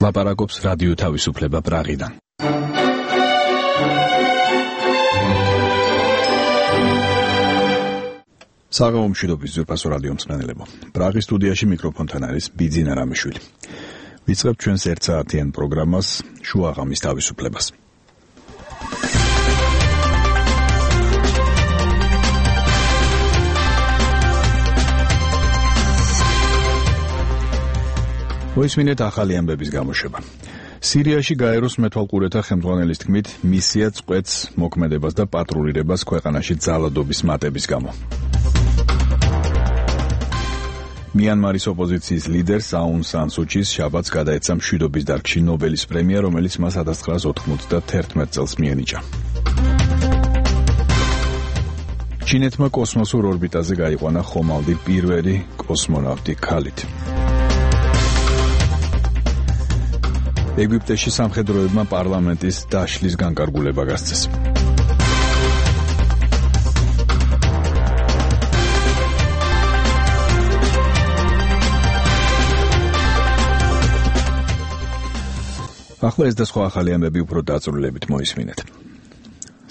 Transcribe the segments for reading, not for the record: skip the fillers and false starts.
ლაპარაკობს რადიო თავისუფლება პრაღიდან. საღამო მშვიდობის ძვირფასო რადიო მსმენელებო. პრაღის სტუდიაში მიკროფონთან არის ბიძინა რამიშვილი. ვიწყებთ ჩვენს ერთსაათიან პროგრამას შუა ღამის თავისუფლებას. მოისმინეთ ახალი ამბების გამოშვება. სირიაში გაეროს მეთვალყურეთა ხელმძღვანელის თქმით, მისია წყვეტს მოქმედებას და პატრულირებას ქვეყანაში ძალადობის მატების გამო. მიანმარის ოპოზიციის ლიდერს აუნ სან სუჩის შაბათს გადაეცა მშვიდობის დარგში ნობელის პრემია, რომელიც მას 1991 წელს მიენიჭა. ჩინეთმა კოსმოსურ ორბიტაზე გაიყვანა ხომალდი პირველი კოსმონავტი ქალით. ეგვიპტეში სამხედროებმა პარლამენტის დაშლის განკარგულება გასცეს. ახლა ეს და სხვა ახალი ამბები უფრო დაწვრილებით მოისმინეთ.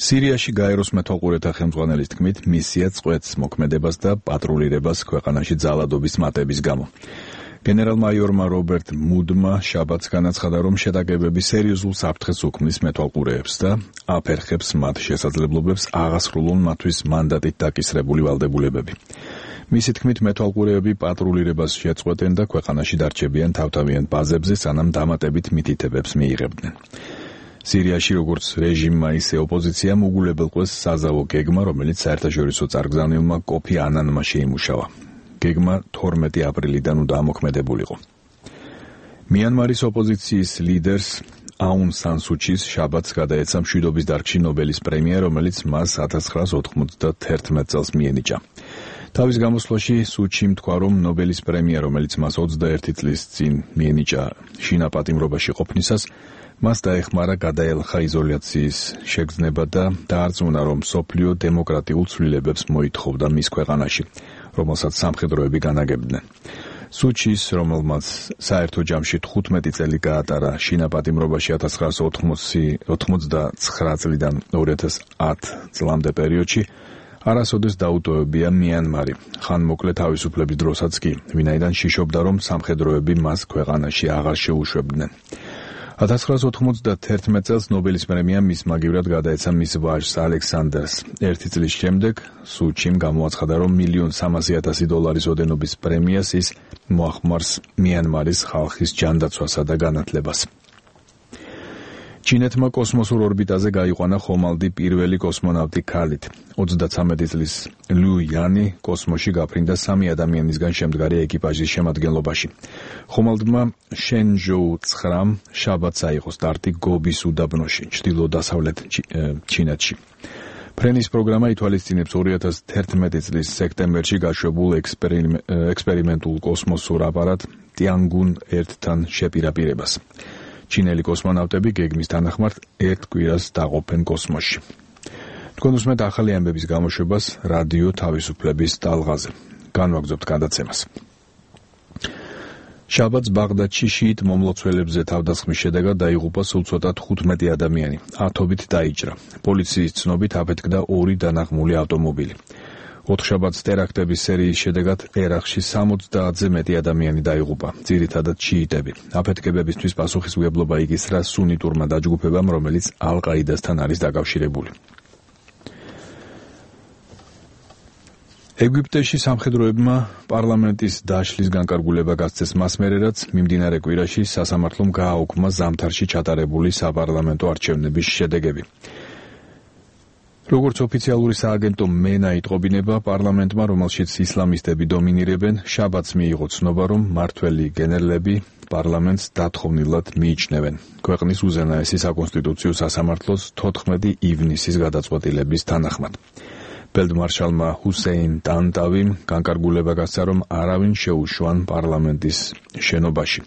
სირიაში გაეროს მეთვალყურეთა ხელმძღვანელის თქმით, მისია წყვეტს მოქმედებას და პატრულირებას ქვეყანაში ძალადობის მატების გამო. გენერალ-მაიორმა რობერტ მუდმა შაბათს განაცხადა, რომ შეტაკებები სერიოზულ საფრთხეს უქმნის მეთვალყურეებს და აფერხებს მათ შესაძლებლობებს აღასრულონ მათთვის მანდატით დაკისრებული ვალდებულებები. მისი თქმით, მეთვალყურეები პატრულირებას შეწყვეტენ და ქვეყანაში დარჩებიან თავთავიან ბაზებზე, სანამ დამატებით მითითებებს მიიღებდნენ. სირიაში როგორც რეჟიმმა, ისე ოპოზიციამ უგულებელყვეს საზავო გეგმა, რომელიც საერთაშორისო წარგზავნილმა კოფი ანანმა შეიმუშავა. გეგმა 12 აპრილიდან უნდა ამოქმედებულიყო. მიანმარის ოპოზიციის ლიდერს აუნ სან სუჩის შაბათს გადაეცა მშვიდობის დარგში ნობელის პრემია, რომელიც მას 1991 წელს მიენიჭა. თავის გამოსვლაში სუჩიმ თქვა, რომ ნობელის პრემია, რომელიც მას 21 წლის წინ მიენიჭა შინაპატიმრობაში ყოფნისას, მას დაეხმარა გადაელხა იზოლაციის შეგრძნება და დაარწმუნა, რომ მსოფლიო დემოკრატიულ ცვლილებებს მოითხოვდა მის ქვეყანაში, რომელსაც სამხედროები განაგებდნენ. სუჩის, რომელმაც საერთო ჯამში 15 წელი გაატარა შინაპატიმრობაში 1989 წლიდან 2010 წლამდე პერიოდში, არასოდეს დაუტოვებია მიანმარი, ხანმოკლე თავისუფლების დროსაც კი, ვინაიდან შიშობდა, რომ სამხედროები მას ქვეყანაში აღარ შეუშვებდნენ. 1991 წელს ნობელის პრემია მის მაგივრად გადაეცა მის ვაჟს ალექსანდრს. 1 წლის შემდეგ სუჩიმ გამოაცხადა, რომ $1,300,000 ოდენობის პრემიას ის მოახმარს მიანმარის ხალხის ჯანდაცვასა და განათლებას. ჩინეთმა კოსმოსურ ორბიტაზე გაიყვანა ხომალდი პირველი კოსმონავტი ქალით. 33 წლის ლუ იანი კოსმოსში გაფრინდა 3 ადამიანისგან შემდგარი ეკიპაჟის შემადგენლობაში. ხომალდმა შენჟოუ 9 შაბათს აიღო სტარტი გობის უდაბნოში, ჩრდილო-დასავლეთ ჩინეთში. ფრენის პროგრამა ითვალისწინებს 2011 წლის სექტემბერში გაშვებულ ექსპერიმენტულ კოსმოსურ აპარატ ტიანგუნ 1-თან შეპირაპირებას. ჩინელი კოსმონავტები გეგმის თანახმად 1 კვირას დაყოფენ კოსმოსში. თქვენ უსმენთ ახალი ამბების გამოშვებას რადიო თავისუფლების ტალღაზე. განვაგრძობთ გადაცემას. შაბათს ბაღდადში შიიტ მომლოცველებზე თავდასხმის შედეგად დაიღუპა სულ ცოტა 15 ადამიანი. ათობით დაიჭრა. პოლიციის ცნობით აფეთქდა 2 დანაღმული ავტომობილი. ოთხშაბათს ტერაქტების სერიის შედეგად ერაყში 70-ზე მეტი ადამიანი დაიღუპა, ძირითადად შიიტები. აფეთქებებისთვის პასუხისმგებლობა იგისრა სუნიტურმა დაჯგუფებამ, რომელიც ალ-ყაიდასთან არის დაკავშირებული. ეგვიპტეში სამხედროებმა პარლამენტის დაშლის განკარგულება გასცეს მას მერე, რაც მიმდინარე კვირაში სასამართლომ გააუქმა ზამთარში ჩატარებული საპარლამენტო არჩევნების შედეგები. როგორც ოფიციალური სააგენტო მენა იტყობინება, პარლამენტმა, რომელშიც ისლამისტები დომინირებენ, შაბათს მიიღო ცნობა, რომ მმართველი გენერლები პარლამენტს დათხოვნილად მიიჩნევენ. ქვეყნის უზენაესი საკონსტიტუციო სასამართლოს 14 ივნისის გადაწყვეტილების თანახმად. ფელდმარშალმა ჰუსეინ ტანტავიმ განკარგულება გასცა, რომ არავინ შეუშვან პარლამენტის შენობაში.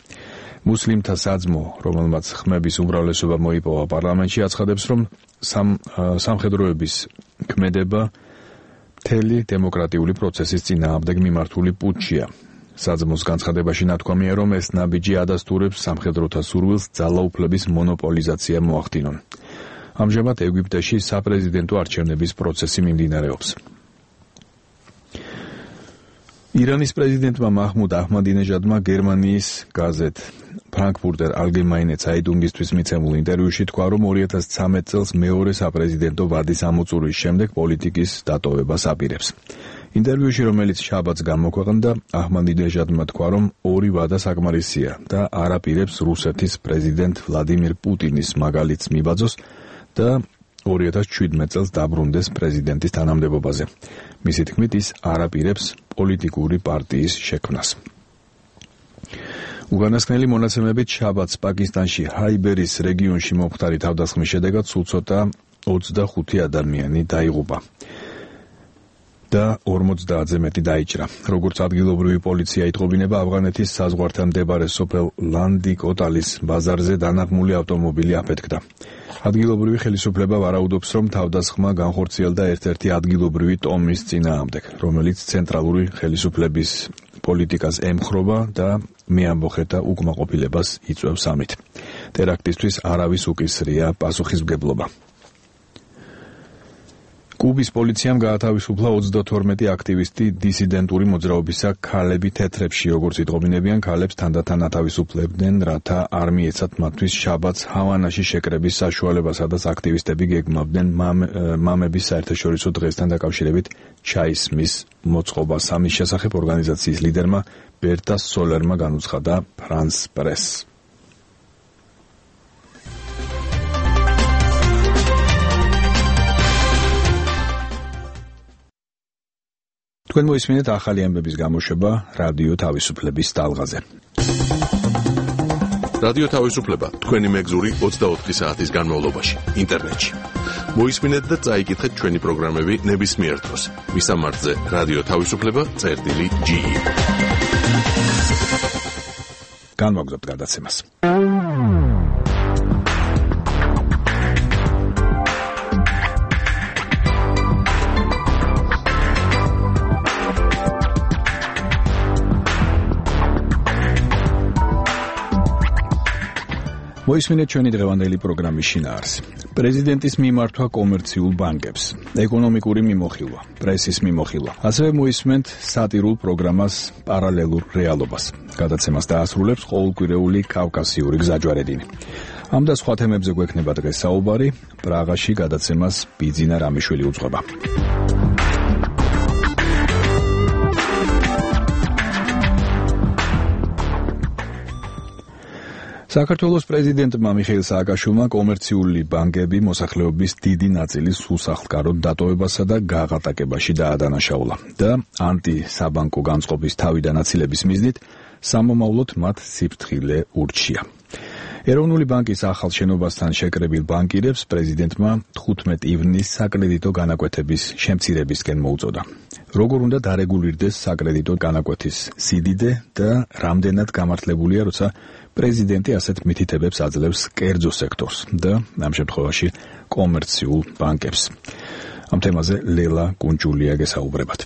მუსლიმთა საძმო, რომელმაც ხმების უმრავლესობა მოიპოვა პარლამენტში, აცხადებს, რომ სამხედროების ქმედება მთელი დემოკრატიული პროცესის წინააღმდეგ მიმართული პუტჩია. საძმოს განცხადებაში ნათქვამია, რომ ეს ნაბიჯი ადასტურებს სამხედროთა სურვილს ძალაუფლების მონოპოლიზაცია მოახდინონ. ამჟამად ეგვიპტეში საპრეზიდენტო არჩევნების პროცესი მიმდინარეობს. ირანის პრეზიდენტმა მაჰმუდ აჰმადინეჟადმა გერმანიის გაზეთ ფრანკფურტერ ალგემაინე ცაიტუნგისთვის მიცემულ ინტერვიუში თქვა, რომ 2013 წელს მეორე საპრეზიდენტო ვადის ამოწურვის შემდეგ პოლიტიკის დატოვებას აპირებს. ინტერვიუში, რომელიც შაბათს გამოქვეყნდა, აჰმადინეჟადმა თქვა, რომ ორი ვადა საკმარისია და არ აპირებს რუსეთის პრეზიდენტ ვლადიმირ პუტინის მაგალითს მიბაძოს და 2017 წელს დაბრუნდეს პრეზიდენტის თანამდებობაზე. მისი თქმით, ის არ აპირებს პოლიტიკური პარტიის შექმნას. უკანასკნელი მონაცემებით შაბათს პაკისტანში ჰაიბერის რეგიონში მომხდარი თავდასხმის შედეგად სულ ცოტა 25 ადამიანი დაიღუპა და 50-ზე მეტი დაიჭრა. როგორც ადგილობრივი პოლიცია იტყობინება, ავღანეთის საზღვართან მდებარე სოფელ ლანდი-კოტალის ბაზარზე დანაღმული ავტომობილი აფეთქდა. ადგილობრივი ხელისუფლება ვარაუდობს, რომ თავდასხმა განხორციელდა ერთ-ერთი ადგილობრივი ტომის წინააღმდეგ, რომელიც ცენტრალური ხელისუფლების პოლიტიკას ემხრობა და მეამბოხეთა უკმაყოფილებას იწვევს ამით. ტერაქტისთვის არავის უკისრია პასუხისმგებლობა. კუბის პოლიციამ გაათავისუფლა 32 აქტივისტი დისიდენტური მოძრაობისა ქალები თეთრებში, როგორც იტყობინებიან, ქალებს თანდათან ათავისუფლებდნენ, რათა არ მიეცათ მათთვის შაბათს ჰავანაში შეკრების საშუალება, სადაც აქტივისტები გეგმავდნენ მამების საერთაშორისო დღესთან დაკავშირებით ჩაისმის მოწყობას. ამის შესახებ ორგანიზაციის ლიდერმა ბერტა სოლერმა განუცხადა ფრანს პრესს. თქვენ მოისმინეთ ახალი ამბების გამოშვება რადიო თავისუფლების ტალღაზე. რადიო თავისუფლება თქვენი მეგზური 24 საათის განმავლობაში ინტერნეტში. მოისმინეთ და წაიკითხეთ ჩვენი პროგრამები ნებისმიერ დროს. მისამართზე რადიო თავისუფლება.ge. განვაგრძობთ გადაცემას. მოისმინეთ ჩვენი დღევანდელი პროგრამის შინაარსი. პრეზიდენტის მიმართვა კომერციულ ბანკებს, ეკონომიკური მიმოხილვა, პრესის მიმოხილვა. ასევე მოისმენთ სატირულ პროგრამას პარალელურ რეალობას. გადაცემას დაასრულებს ყოველკვირეული კავკასიური გზაჯვარედინი. ამ და სხვა თემებზე გვექნება დღეს საუბარი. პრაღაში გადაცემას ბიძინა რამიშვილი უძღვება. საქართველოს პრეზიდენტმა მიხეილ სააკაშვილმა კომერციული ბანკები მოსახლეობის დიდი ნაწილის უსახლკაროდ დატოვებასა და გაღატაკებაში დაადანაშაულა და ანტისაბანკო განწყობის თავიდან აცილების მიზნით სამომავლოდ მათ სიფრთხილე ურჩია. ეროვნული ბანკის ახალ შენობასთან შეკრებილ ბანკირებს პრეზიდენტმა 15 ივნისს საკრედიტო განაკვეთების შემცირებისკენ მოუწოდა. როგორ უნდა დარეგულირდეს საკრედიტო განაკვეთის სიდიდე და რამდენად გამართლებულია, როცა პრეზიდენტი ასეთ მითითებებს აძლევს კერძო სექტორს და ამ შემთხვევაში კომერციულ ბანკებს. ამ თემაზე ლელა კუნჭულია გესაუბრებათ.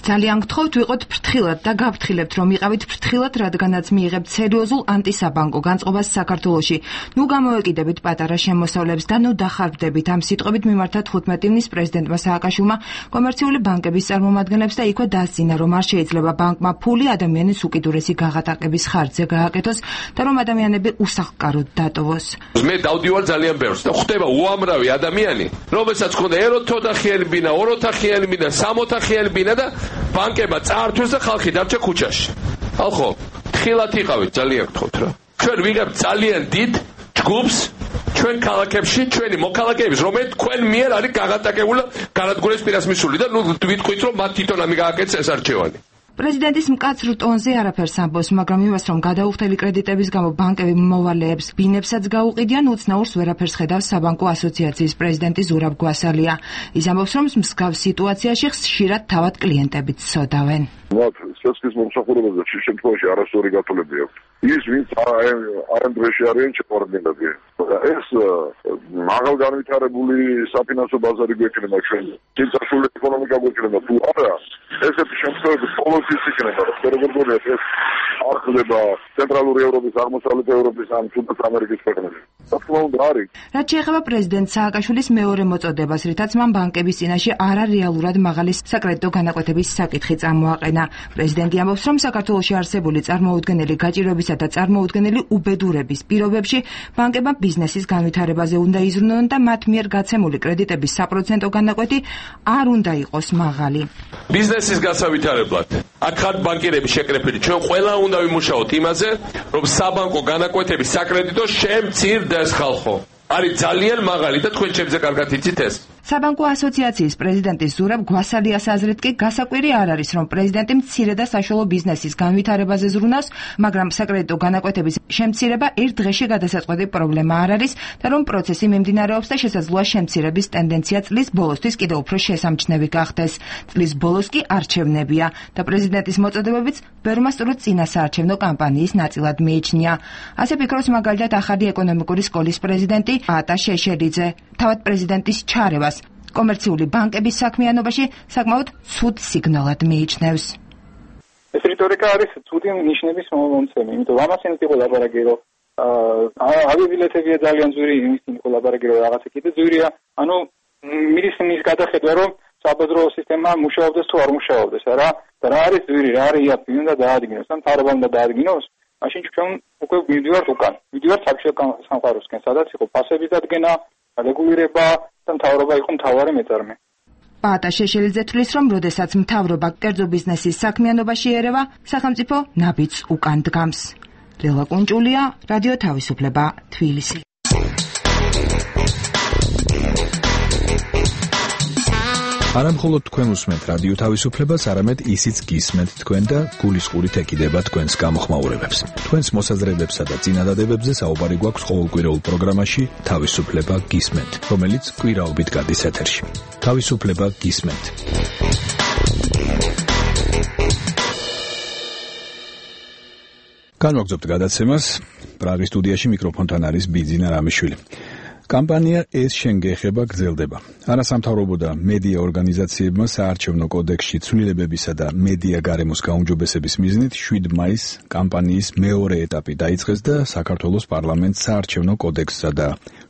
ძალიან გთხოვთ ვიყოთ ფრთხილად და გავფრთხილებთ რომ იყავით ფრთხილად, რადგანაც მიიღებთ სერიოზულ ანტისაბანკო განწყობას საქართველოში. ნუ გამოვეკიდებით პატარა შემოსავლებს და ნუ დახარბდებით. ამ სიტყვებით მიმართა 15 ივნის პრეზიდენტმა სააკაშვილმა კომერციული ბანკების წარმომადგენლებს და იქვე დასძინა, რომ არ შეიძლება ბანკმა ფული ადამიანის უკიდურესი გაღატაკების ხარჯზე გააკეთოს და რომ ადამიანები უსახლკაროდ დატოვოს. მე დავდივარ ძალიან ბევრს და ხვდება უამრავი ადამიანი, რომელსაც ხონდა ეროთოთახიანი ბინა, ოროთახიანი ბინა, სამოთახიანი ბინა და ბანკება წაართვეს და ხალხი დარჩა ქუჩაში. ხალხო, თხილად იყავით, ძალიან გთხოვთ რა. ჩვენ ვიღებთ ძალიან დიდ ჯგუფს ჩვენ ქალაქებში, ჩვენი მოქალაქეების, რომელიც თქვენ მიერ არის გაღატაკებული, განადგურეს პირას მისული და ნუ ვიტყვით, რომ მათ თვითონ ამი გააკეთეს ეს არჩევანი. პრეზიდენტის მკაცრ ტონზე არაფერს ამბობს, მაგრამ იმას, რომ გადაუხდელი კრედიტების გამო ბანკები მოვალეებს ბინებსაც გაუყიდიან, უცნაურს ვერაფერს ხედავს საბანკო ასოციაციის პრეზიდენტი ზურაბ გვასალია. ის ამბობს, რომ მსგავს სიტუაციაში ხშირად თავად კლიენტებიც სოდავენ. მათ სესქის მომსახურებაზე შე შემთხვევაში არასწორი გათვლები აქვს. ის ვინც არ დღეში არიან შეყვარდნილები. ეს მაღალ განვითარებული საფინანსო ბაზარი გვექნება ჩვენ. წინწასული ეკონომიკა გვექნება თუ არა, ესეთი შემთხვევები ყოველთვის იქნება. როგორ გონიათ ეს არ ხდება ცენტრალური ევროპის, აღმოსავლეთ ევროპის ან თუნდაც ამერიკის ქვეყნებში. თქმა უნდა არის. რაც შეეხება პრეზიდენტ სააკაშვილის მეორე მოწოდებას, რითაც მან ბანკების წინაშე არარეალურად მაღალი საკრედიტო განაკვეთების საკითხი წამოაყენა. პრეზიდენტი ამბობს, რომ საქართველოში არსებული წარმოუდგენელი გაჭირვებისა და წარმოუდგენელი უბედურების პირობებში ბანკებმა ბიზნესის განვითარებაზე უნდა იზრუნონ და მათ მიერ გაცემული კრედიტების საპროცენტო განაკვეთი არ უნდა იყოს მაღალი. ბიზნესის გასავითარებლად აქ ხართ ბანკირები შეკრებილი. ჩვენ ყველა უნდა ვიმუშაოთ იმაზე, რომ საბანკო განაკვეთების საკრედიტო შემცირდეს ხალხო. არის ძალიან მაღალი და თქვენ ჩემზე კარგად იცით ეს. საბანკო ასოციაციის პრეზიდენტის ზურაბ გვასალიას აზრით კი გასაკვირი არ არის, რომ პრეზიდენტი მცირე და საშუალო ბიზნესის განვითარებაზე ზრუნავს, მაგრამ საკრედიტო განაკვეთების შემცირება ერთ დღეში გადასაწყვეტი პრობლემა არ არის და რომ პროცესი მიმდინარეობს და შესაძლოა შემცირების ტენდენცია წლის ბოლოსთვის კიდევ უფრო შესამჩნევი გახდეს. წლის ბოლოს კი არჩევნებია და პრეზიდენტის მოწოდებებიც ბევრმა სწორედ წინასაარჩევნო კამპანიის ნაწილად მიიჩნია. ასე ფიქრობს მაგალითად ახალი ეკონომიკური სკოლის პრეზიდენტი პაატა შეშელიძე. თავად პრეზიდენტის ჩარევას კომერციული ბანკების საქმიანობაში საკმაოდ ცუდ სიგნალად მიიჩნევს. ეს რიტორიკა არის ცუდი ნიშნების მომცემი, იმიტომ რომ ამას იმით იყო ლაპარაკი, რომ ავიაბილეთებია ძალიან ძვირი, იმით იყო ლაპარაკი, რომ რაღაცა კიდე ძვირია. ანუ მის გადახედვა, რომ საბაზრო სისტემა მუშაობდეს თუ არ მუშაობდეს, და რა არის ძვირი, რა არის იაფი, უნდა დაადგინოს, ან მთავრობა უნდა დაადგინოს. მაშინ ჩვენ უკვე მივდივართ უკან. მივდივართ საბჭოთა სამყაროსკენ, სადაც იყო ფასების დადგენა, რეგულირება და მთავრობა იყო მთავარი მეწარმე. პაატა შეშელიძე თვლის, რომ როდესაც მთავრობა კერძო ბიზნესის საქმიანობაში ერევა, სახელმწიფო ნაბიჯს უკან დგამს. ლელა კუნჭულია, რადიო თავისუფლება, თბილისი. არა მხოლოდ თქვენ უსმენთ რადიო თავისუფლებას, არამედ ისიც გისმენთ თქვენ და გულისყურით ეკიდება თქვენს გამოხმაურებებს. თქვენს მოსაზრებებსა და წინადადებებზე საუბარი გვაქვს ყოველკვირეულ პროგრამაში თავისუფლება გისმენთ, რომელიც კვირაობით გადის ეთერში. თავისუფლება გისმენთ. განვაგრძობთ გადაცემას. პრაღის სტუდიაში მიკროფონთან არის ბიძინა რამიშვილი. კამპანია ეს შენ გეხება გრძელდება. არასამთავრობო და მედია ორგანიზაციებმა საარჩევნო კოდექსში ცვლილებებისა და მედია გარემოს გაუმჯობესების მიზნით 7 მაისს კამპანიის მეორე ეტაპი დაიწყეს და საქართველოს პარლამენტს საარჩევნო კოდექსსა და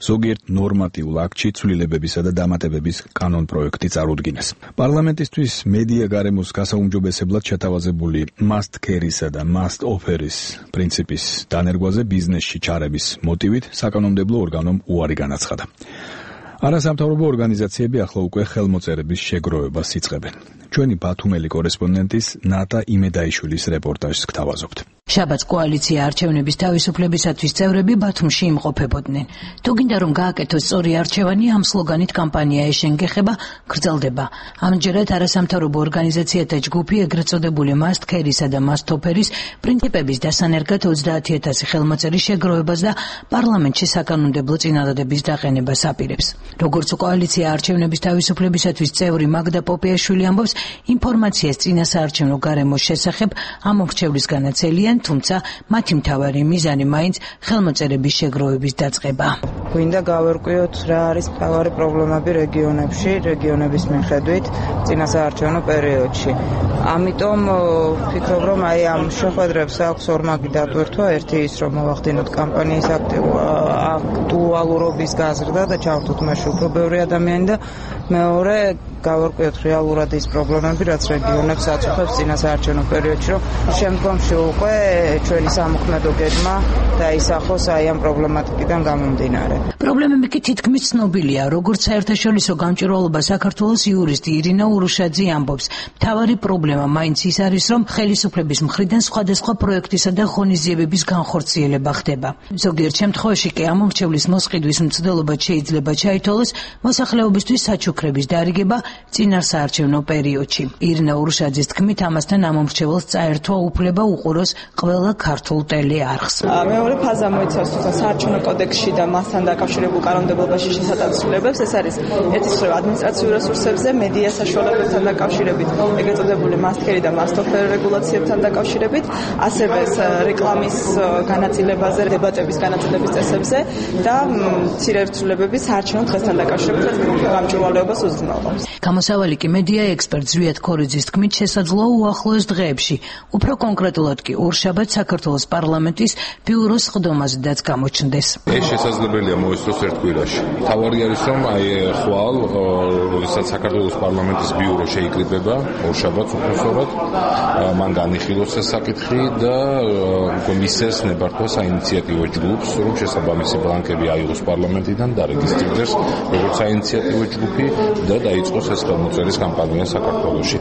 ზოგიერთ ნორმატიულ აქტში ცვლილებებისა და დამატებების კანონპროექტი წარუდგინეს. პარლამენტისთვის მედია გარემოს გასაუმჯობესებლად შეთავაზებული must carry-სა და must offer-ის პრინციპის დანერგვაზე ბიზნესში ჩარების მოტივით საკანონმდებლო ორგანომ უარი განაცხადა. არასამთავრობო ორგანიზაციები ახლა უკვე ხელმოწერების შეგროვებას იწყებენ. ჩვენი ბათუმელი კორესპონდენტის ნატა იმედაიშვილის რეპორტაჟს გთავაზობთ. შაბათს კოალიცია არჩევნების თავისუფლებისათვის წევრები ბათუმში იმყოფებოდნენ. თუ გინდა რომ გააკეთოს სწორი არჩევანი, ამ სლოგანით კამპანია ეშენ გეხება გრძელდება. ამჯერად არასამთავრობო ორგანიზაციათა ჯგუფი ეგრეთ წოდებული must carry-სა და must offer-ის პრინციპების დასანერგად 30,000 ხელმოწერის შეგროვებას და პარლამენტში საკანონმდებლო წინადადების დაყენებას აპირებს. როგორც კოალიცია არჩევნების თავისუფლებისათვის წევრი მაგდა პოპიაშვილი ამბობს, ინფორმაციას წინასაარჩევნო გარემოს შესახებ ამ მრჩევლისგან აცელიან, თუმცა მათი მთავარი მიზანი მაინც ხელმოწერების შეგროვების დაწყება. გვინდა გავერკვიოთ რა არის მთავარი პრობლემები რეგიონებში, რეგიონების მიხედვით წინასაარჩევნო პერიოდში. ამიტომ ვფიქრობ, რომ აი ამ შეხვედრებს აქვს ორმაგი დატვირთვა, ერთი ის რომ მოვახდინოთ კამპანიის აქტუალურობის გაზრდა და ჩავთვით მასში უფრო ბევრი ადამიანი და მეორე გავერკვიოთ რეალურად ის პრობლემები, რაც რეგიონებს აწუხებს წინასაარჩევნო პერიოდში, რომ შემდგომში უკვე ჩვენი სამოქმედო გეგმა დაისახოს აი ამ პრობლემატიკიდან გამომდინარე. პრობლემები კი თითქმის ცნობილია, როგორც საერთაშორისო გამჭვირვალობა საქართველოს იურისტი ირინა ურუშაძე ამბობს. მთავარი პრობლემა მაინც ის არის, რომ ხელისუფლების მხრიდან სხვადასხვა პროექტისა და ღონისძიებების განხორციელება ხდება. ზოგიერთ შემთხვევაში კი ამ მრჩევლის მოსყიდვის მცდელობა შეიძლება ჩაითვალოს მოსახლეობისთვის საჩუქრების დარიგება წინასაარჩევნო პერიოდში. ირინა ურუშაძის თქმით, ამასთან ამ მრჩეველს წაერთვა უფლება უყუროს ყველა ქართულ ტელეარხს. მეორე ფაზა მოიცავს საარჩევნო კოდექსში და მასთან დაკავშირებულ კანონმდებლობაში შესატანს ცვლილებებს. ეს არის ერთის მხრივ ადმინისტრაციულ რესურსებზე, მედია საშუალებებთან დაკავშირებით, ეგრეთ წოდებული must carry და must offer რეგულაციებთან დაკავშირებით, ასევე რეკლამის განაწილებაზე, დებატების განაწილების წესებზე და მცირე ცვლილებების საარჩევნო დღესთან დაკავშირებით გამჭვირვალეობას უზრუნველყოფს. გამოსავალი კი მედია ექსპერტ ზვიად ქორიძის თქმით შესაძლოა უახლოეს დღეებში, უფრო კონკრეტულად კი ორშაბათს საქართველოს პარლამენტის ბიუროს სხდომაზედაც გამოჩნდეს. ეს შესაძლებელია მოესწროს ერთ კვირაში. თავარი არის რომ ხვალ როდესაც საქართველოს პარლამენტის ბიურო შეიკრიბება ორშაბათს უпроსორად მან განიხილოს ეს საკითხი და მისცეს ნებართვა საინიციატივო ჯგუფს, რომ შესაბამისი ბლანკები აიღოს პარლამენტიდან და რეგისტრირდეს როგორც საინიციატივო ჯგუფი და დაიწყოს ეს ხელმოწერის კამპანია საქართველოში.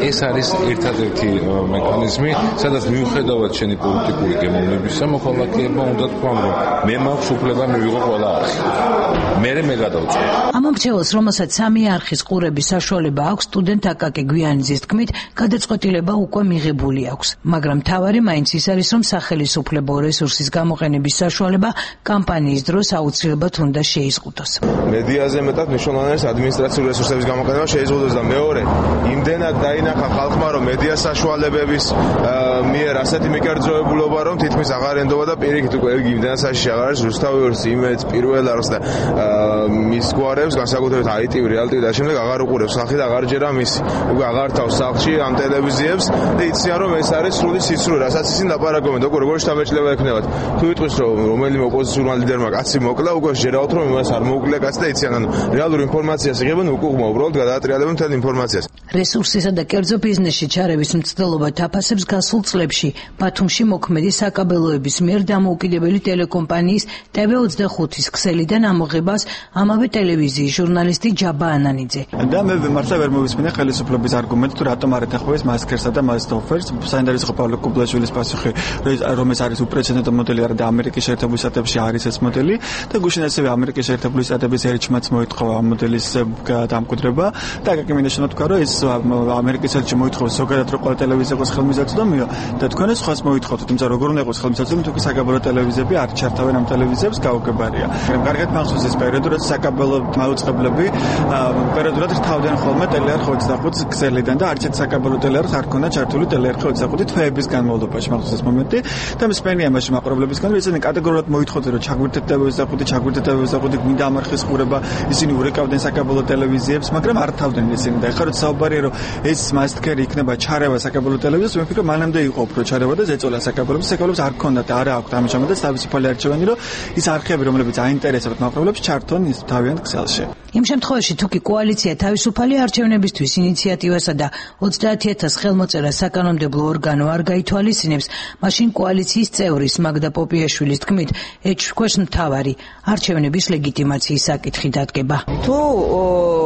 ეს არის ერთადერთი მექანიზმი, სადაც მიუხედავად შენი პოლიტიკური გემოვნებისა, მოქალაქეებმა უნდა თქვან, რომ მე მაქვს უფლება მივიღო ყველა არხი. მე გადავწყვეტ. ამ მრჩეველს, რომელსაც 3 არხის ყურების საშუალება აქვს, სტუდენტ აკაკი გვიანიძის თქმით, გადაწყვეტილება უკვე მიღებული აქვს, მაგრამ მთავარი მაინც ის არის, რომ სახელისუფლებო რესურსის გამოყენების საშუალება კამპანიის დროს აუცილებლად უნდა შეიზღუდოს. მედიაზე მეტად მნიშვნელოვანი არის ადმინისტრაციული რესურსების გამოყენება შეიზღუდოს და მეორე, იმდენად დაინახა ხალხმა, რომ მედია საშუალებების მიერ ასეთი მიკერძოებულობა, რომ თითქმის აღარ ენდობა და პირიქით უკვე იმდენად საშიში აღარ არის რუსთავი ორს, იმედს, პირველ არხს და მის გვარებს, განსაკუთრებით ITV, რეალტივი და შემდეგ აღარ უყურებს ხალხი და აღარ ჯერა მისი. უკვე აღარ თავს სახლში ამ ტელევიზიებს და იციან რომ ეს არის სრული სიცრუე, რასაც ისინი ლაპარაკობენ და უკვე როგორი შთაბეჭდილება ექნებათ. თუ იტყვის რომ რომელიმე ოპოზიციურმა ლიდერმა კაცი მოკლა, უკვე შერავთ რომ იმას არ მოუკლია კაცი და იციან, ანუ რეალურ ინფორმაციას იღებენ უკუღმა, უბრალოდ გადაატრიალებენ მთელ ინფორმაციას. რესურსისა და კერძო ბიზნესში ჩარევის მცდელობა თაფასებს გასულ წლებში ბათუმში მოქმედი საკაბელოების მიერ დამოუკიდებელი ტელეკომპანიის TV25-ის ქსელიდან ამოღებას ამავე ტელევიზიის ჟურნალისტი ჯაბა ანანიძე. და მე მართლა ვერ მოვისმინე ხელისუფლების არგუმენტი, თუ რატომ არ ეთანხმებს მასკერსა და მასტოფერს. საინტერესო პავლო კუბლაშვილის პასუხი, რომ ეს არის უპრეცედენტო მოდელი არა და ამერიკის შეერთებული შტატებში არის ეს მოდელი და გუშინ ასევე ამერიკის შეერთებული შტატების ერჩმაც მოითხოვა ამ მოდელის დამკვიდრება და აკაკი მინდა თქვა, რომ ეს ამერიკის ერჩი მოითხოვს ზოგადად რომ ყველა ტელევიზია იყოს ხელმისაწვდომიო და თქვენ ეს ხას მოითხოვთ, თუმცა როგორ უნდა იყოს ხელმისაწვდომი, თუ საკაბელო ტელევიზიები არ ჩართავენ ამ ტელევიზიებს გაუგებარია. კარგად მახსოვს ეს პერიოდი, როცა საკაბელო მაუწყებლები პერიოდულად რთავდნენ ხოლმე ტელეარხ 25 ქსელიდან და არც ერთ საკაბელო ტელეარხ არ ქონდა ჩართული ტელეარხ 25 თვეების განმავლობაში მახსოვს ეს მომენტი და მსმენია მაშინ მაყურებლებისგან ისინი კატეგორიულად მოითხოვდნენ რომ ჩაგვირთეთ TV25 გვინდა ამ არხის ყურება, ისინი ურეკავდნენ საკაბელო ტელევიზიებს, მაგრამ არ თავდნენ ისინი და ეხლა როცა საუბარია რომ ეს მასტკერი იქნება ჩარევა საკაბელო ტელევიზიას, მე ვფიქრობ მანამდე იყო უფრო ჩარევა და ზეწოლა საკაბელოებს არ ქონდა და არა აქვთ ამჟამად და თავისუფალი არჩევანი, რომ ის არხები რომლებიც აინტერესებთ მაყურებლებს ჩართონ ის თავიანთ ქსელში. იმ შემთხვევაში თუ კი კოალიცია თავისუფალი არჩევნებისთვის ინიციატივასა და 30,000 ხელმოწერას საკანონმდებლო ორგანო არ გაითვალისწინებს, მაშინ კოალიციის წევრის მაგდა პოპიაშვილის თქმით, ეჭვქვეშ მთავარი არჩევნების ლეგიტიმაციის საკითხი დადგება. თუ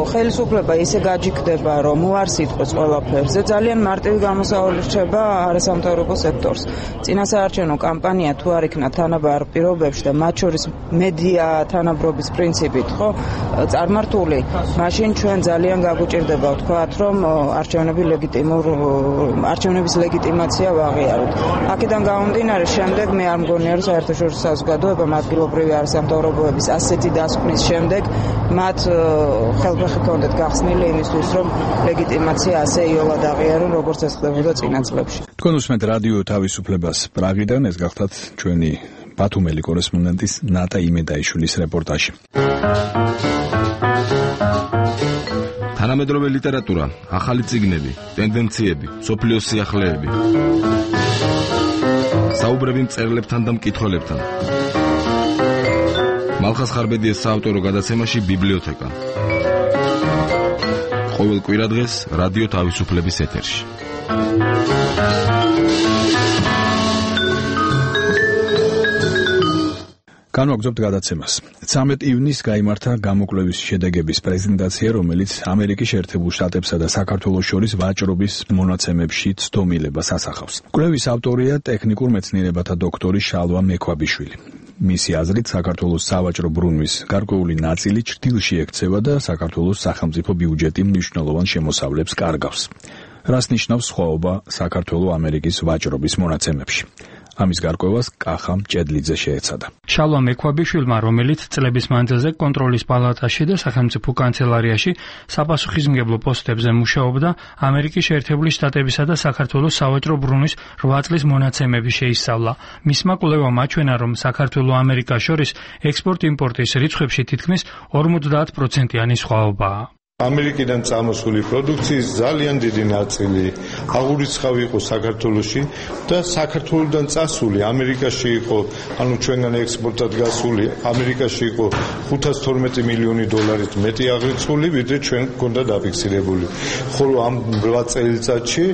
ხელისუფლება ისე გაჯიქდება, რომ უარს იტყვის ყველაფერზე, ძალიან მარტივი გამოსავალი რჩება არასამთავრობო სექტორს. წინასაარჩევნო კამპანია თუ არ იქნა თანაბარ პირობებში და მათ შორის მედია თანაბრობის პრინციპით, ხო, წარმართული, მაშინ ჩვენ ძალიან გაგვჭირდება ვთქვათ, რომ არჩევნების ლეგიტიმაცია ვაღიაროთ. აქედან გამომდინარე, შემდეგ მე არ მგონია, რომ საერთაშორისო საზოგადოებამ ადგილობრივი არასამთავრობოების ასეთი დასკვნის შემდეგ მათ ხელფეხი ქონდეთ გახსნილი იმისთვის, რომ ლეგიტიმაცია ასე იოლად აღიარონ, როგორც ეს ხდებოდა წინა წლებში. თქვენ უსმენთ რადიო თავისუფლებას პრაღიდან, ეს გახლავთ ჩვენი ბათუმელი კორესპონდენტის ნატა იმედაიშვილის რეპორტაჟი. თანამედროვე ლიტერატურა, ახალი წიგნები, ტენდენციები, სოფლიოს სიახლეები. საუბრები მწერლებთან და მკითხველებთან. მალხას ხარბედიეს საავტორო გადაცემაში ბიბლიოთეკა. ყოველ კვირადღეს რადიო თავისუფლების ეთერში. განვაგრძობთ გადაცემას. 13 ივნისს გაიმართა გამოკვლევის შედეგების პრეზენტაცია, რომელიც ამერიკის შეერთებულ შტატებსა და საქართველოს შორის ვაჭრობის მონაცემებში ცდომილებას ასახავს. კვლევის ავტორია ტექნიკურ მეცნიერებათა დოქტორი შალვა მექვაბიშვილი. მისი აზრით, საქართველოს სავაჭრო ბრუნვის გარკვეული ნაწილი ჩრდილში ექცევა და საქართველოს სახელმწიფო ბიუჯეტი მნიშვნელოვან შემოსავლებს კარგავს. რას ნიშნავს სხვაობა საქართველო-ამერიკის ვაჭრობის მონაცემებში? ამის გარკვევას კახა მჭედლიძე შეეცადა. შალვა მექვაბიშვილმა, რომელიც წლების მანძილზე კონტროლის პალატაში და სახელმწიფო კანცელარიაში საპასუხისმგებლო პოსტებზე მუშაობდა, ამერიკის შეერთებული შტატებისა და საქართველოს სავაჭრო ბრუნვის 8 წლის მონაცემები შეისწავლა. მისმა კვლევამ აჩვენა, რომ საქართველო-ამერიკას შორის ექსპორტ-იმპორტის რიცხვებში თითქმის 50%-იანი სხვაობაა. ამერიკიდან წამოსული პროდუქციის ძალიან დიდი ნაწილი აღურიცხავი იყო საქართველოში და საქართველოდან წასული ამერიკაში იყო, ანუ ჩვენგან ექსპორტად გასული ამერიკაში იყო 512 მილიონი დოლარით მეტი აღრიცხვული, ვიდრე ჩვენ გვქონდა დაფიქსირებული. ხოლო ამ 8 წელიწადში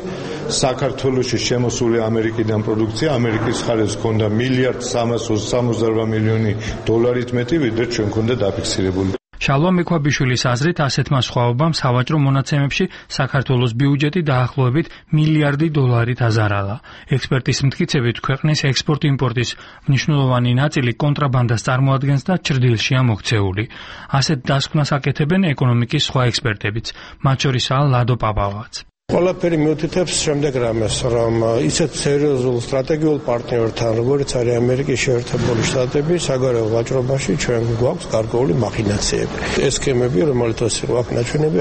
საქართველოში შემოსული ამერიკიდან პროდუქცია ამერიკის მხარეს ჰქონდა 1.368 მილიონი დოლარით მეტი, ვიდრე ჩვენ გვქონდა დაფიქსირებული. შალვა მექვაბიშვილის აზრით, ასეთმა სხვაობამ სავაჭრო მონაცემებში საქართველოს ბიუჯეტი დაახლოებით $1 მილიარდით აზარალა. ექსპერტის მტკიცებით, ქვეყნის ექსპორტ-იმპორტის მნიშვნელოვანი ნაწილი კონტრაბანდას წარმოადგენს და ჭრდილშია მოქცეული. ასეთ დასკვნას აკეთებენ ეკონომიკის სხვა ექსპერტებიც, მათ შორისაა ლადო პაპავაც. ყველაფერი მიუთითებს შემდეგ რამეს, რომ ისეთ სერიოზულ სტრატეგიულ პარტნიორთან, როგორც არის ამერიკის შეერთებული შტატები, საგარეო ვაჭრობაში ჩვენ გვაქვს გარკვეული მახინაციები. ეს სქემები, რომელთაც იყო აქ ნაჩვენები,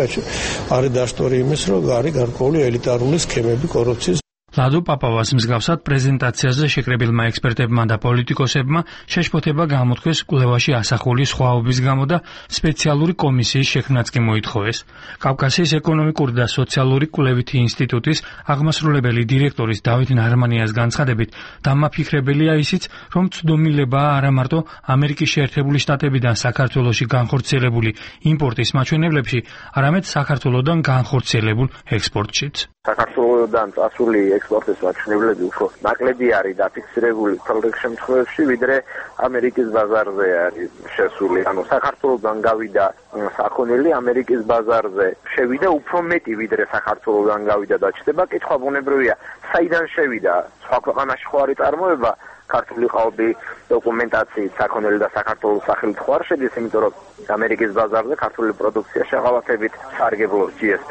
არის დაშტორი იმის, რომ არის გარკვეული ელიტარული სქემები კორუფციის. ლადო პაპავას მსგავსად პრეზენტაციაზე შეკრებილმა ექსპერტებმა და პოლიტიკოსებმა შეშფოთება გამოთქვეს კვლევაში ასახული სხვაობის გამო და სპეციალური კომისიის შექმნაც კი მოითხოვეს. კავკასიის ეკონომიკური და სოციალური კვლევითი ინსტიტუტის აღმასრულებელი დირექტორის დავით ნარმანიას განცხადებით, დამაფიქრებელია ისიც, რომ ცდომილებაა არა მარტო ამერიკის შეერთებული შტატებიდან საქართველოში განხორციელებული იმპორტის მაჩვენებლებში, არამედ საქართველოდან განხორციელებულ ექსპორტშიც. საქართველოდან წასული ექსპორტის მაჩვენებლები უფრო ნაკლები არის დაფიქსირებული თვალდექ შემთხვევებში, ვიდრე ამერიკის ბაზარზე არის შესული. ანუ საქართველოდან გავიდა საქონელი, ამერიკის ბაზარზე შევიდა უფრო მეტი, ვიდრე საქართველოდან გავიდა და ჩდება. კითხვა ბუნებრივია, საიდან შევიდა? სხვა ქვეყანაში ხო არის წარმოება? ქართული ყალბი დოკუმენტაციით საქონელი და საქართველოს სახელით ხო არ შედის, იმიტომ რომ ამერიკის ბაზარზე ქართული პროდუქცია შეღავათებით სარგებლობს GSP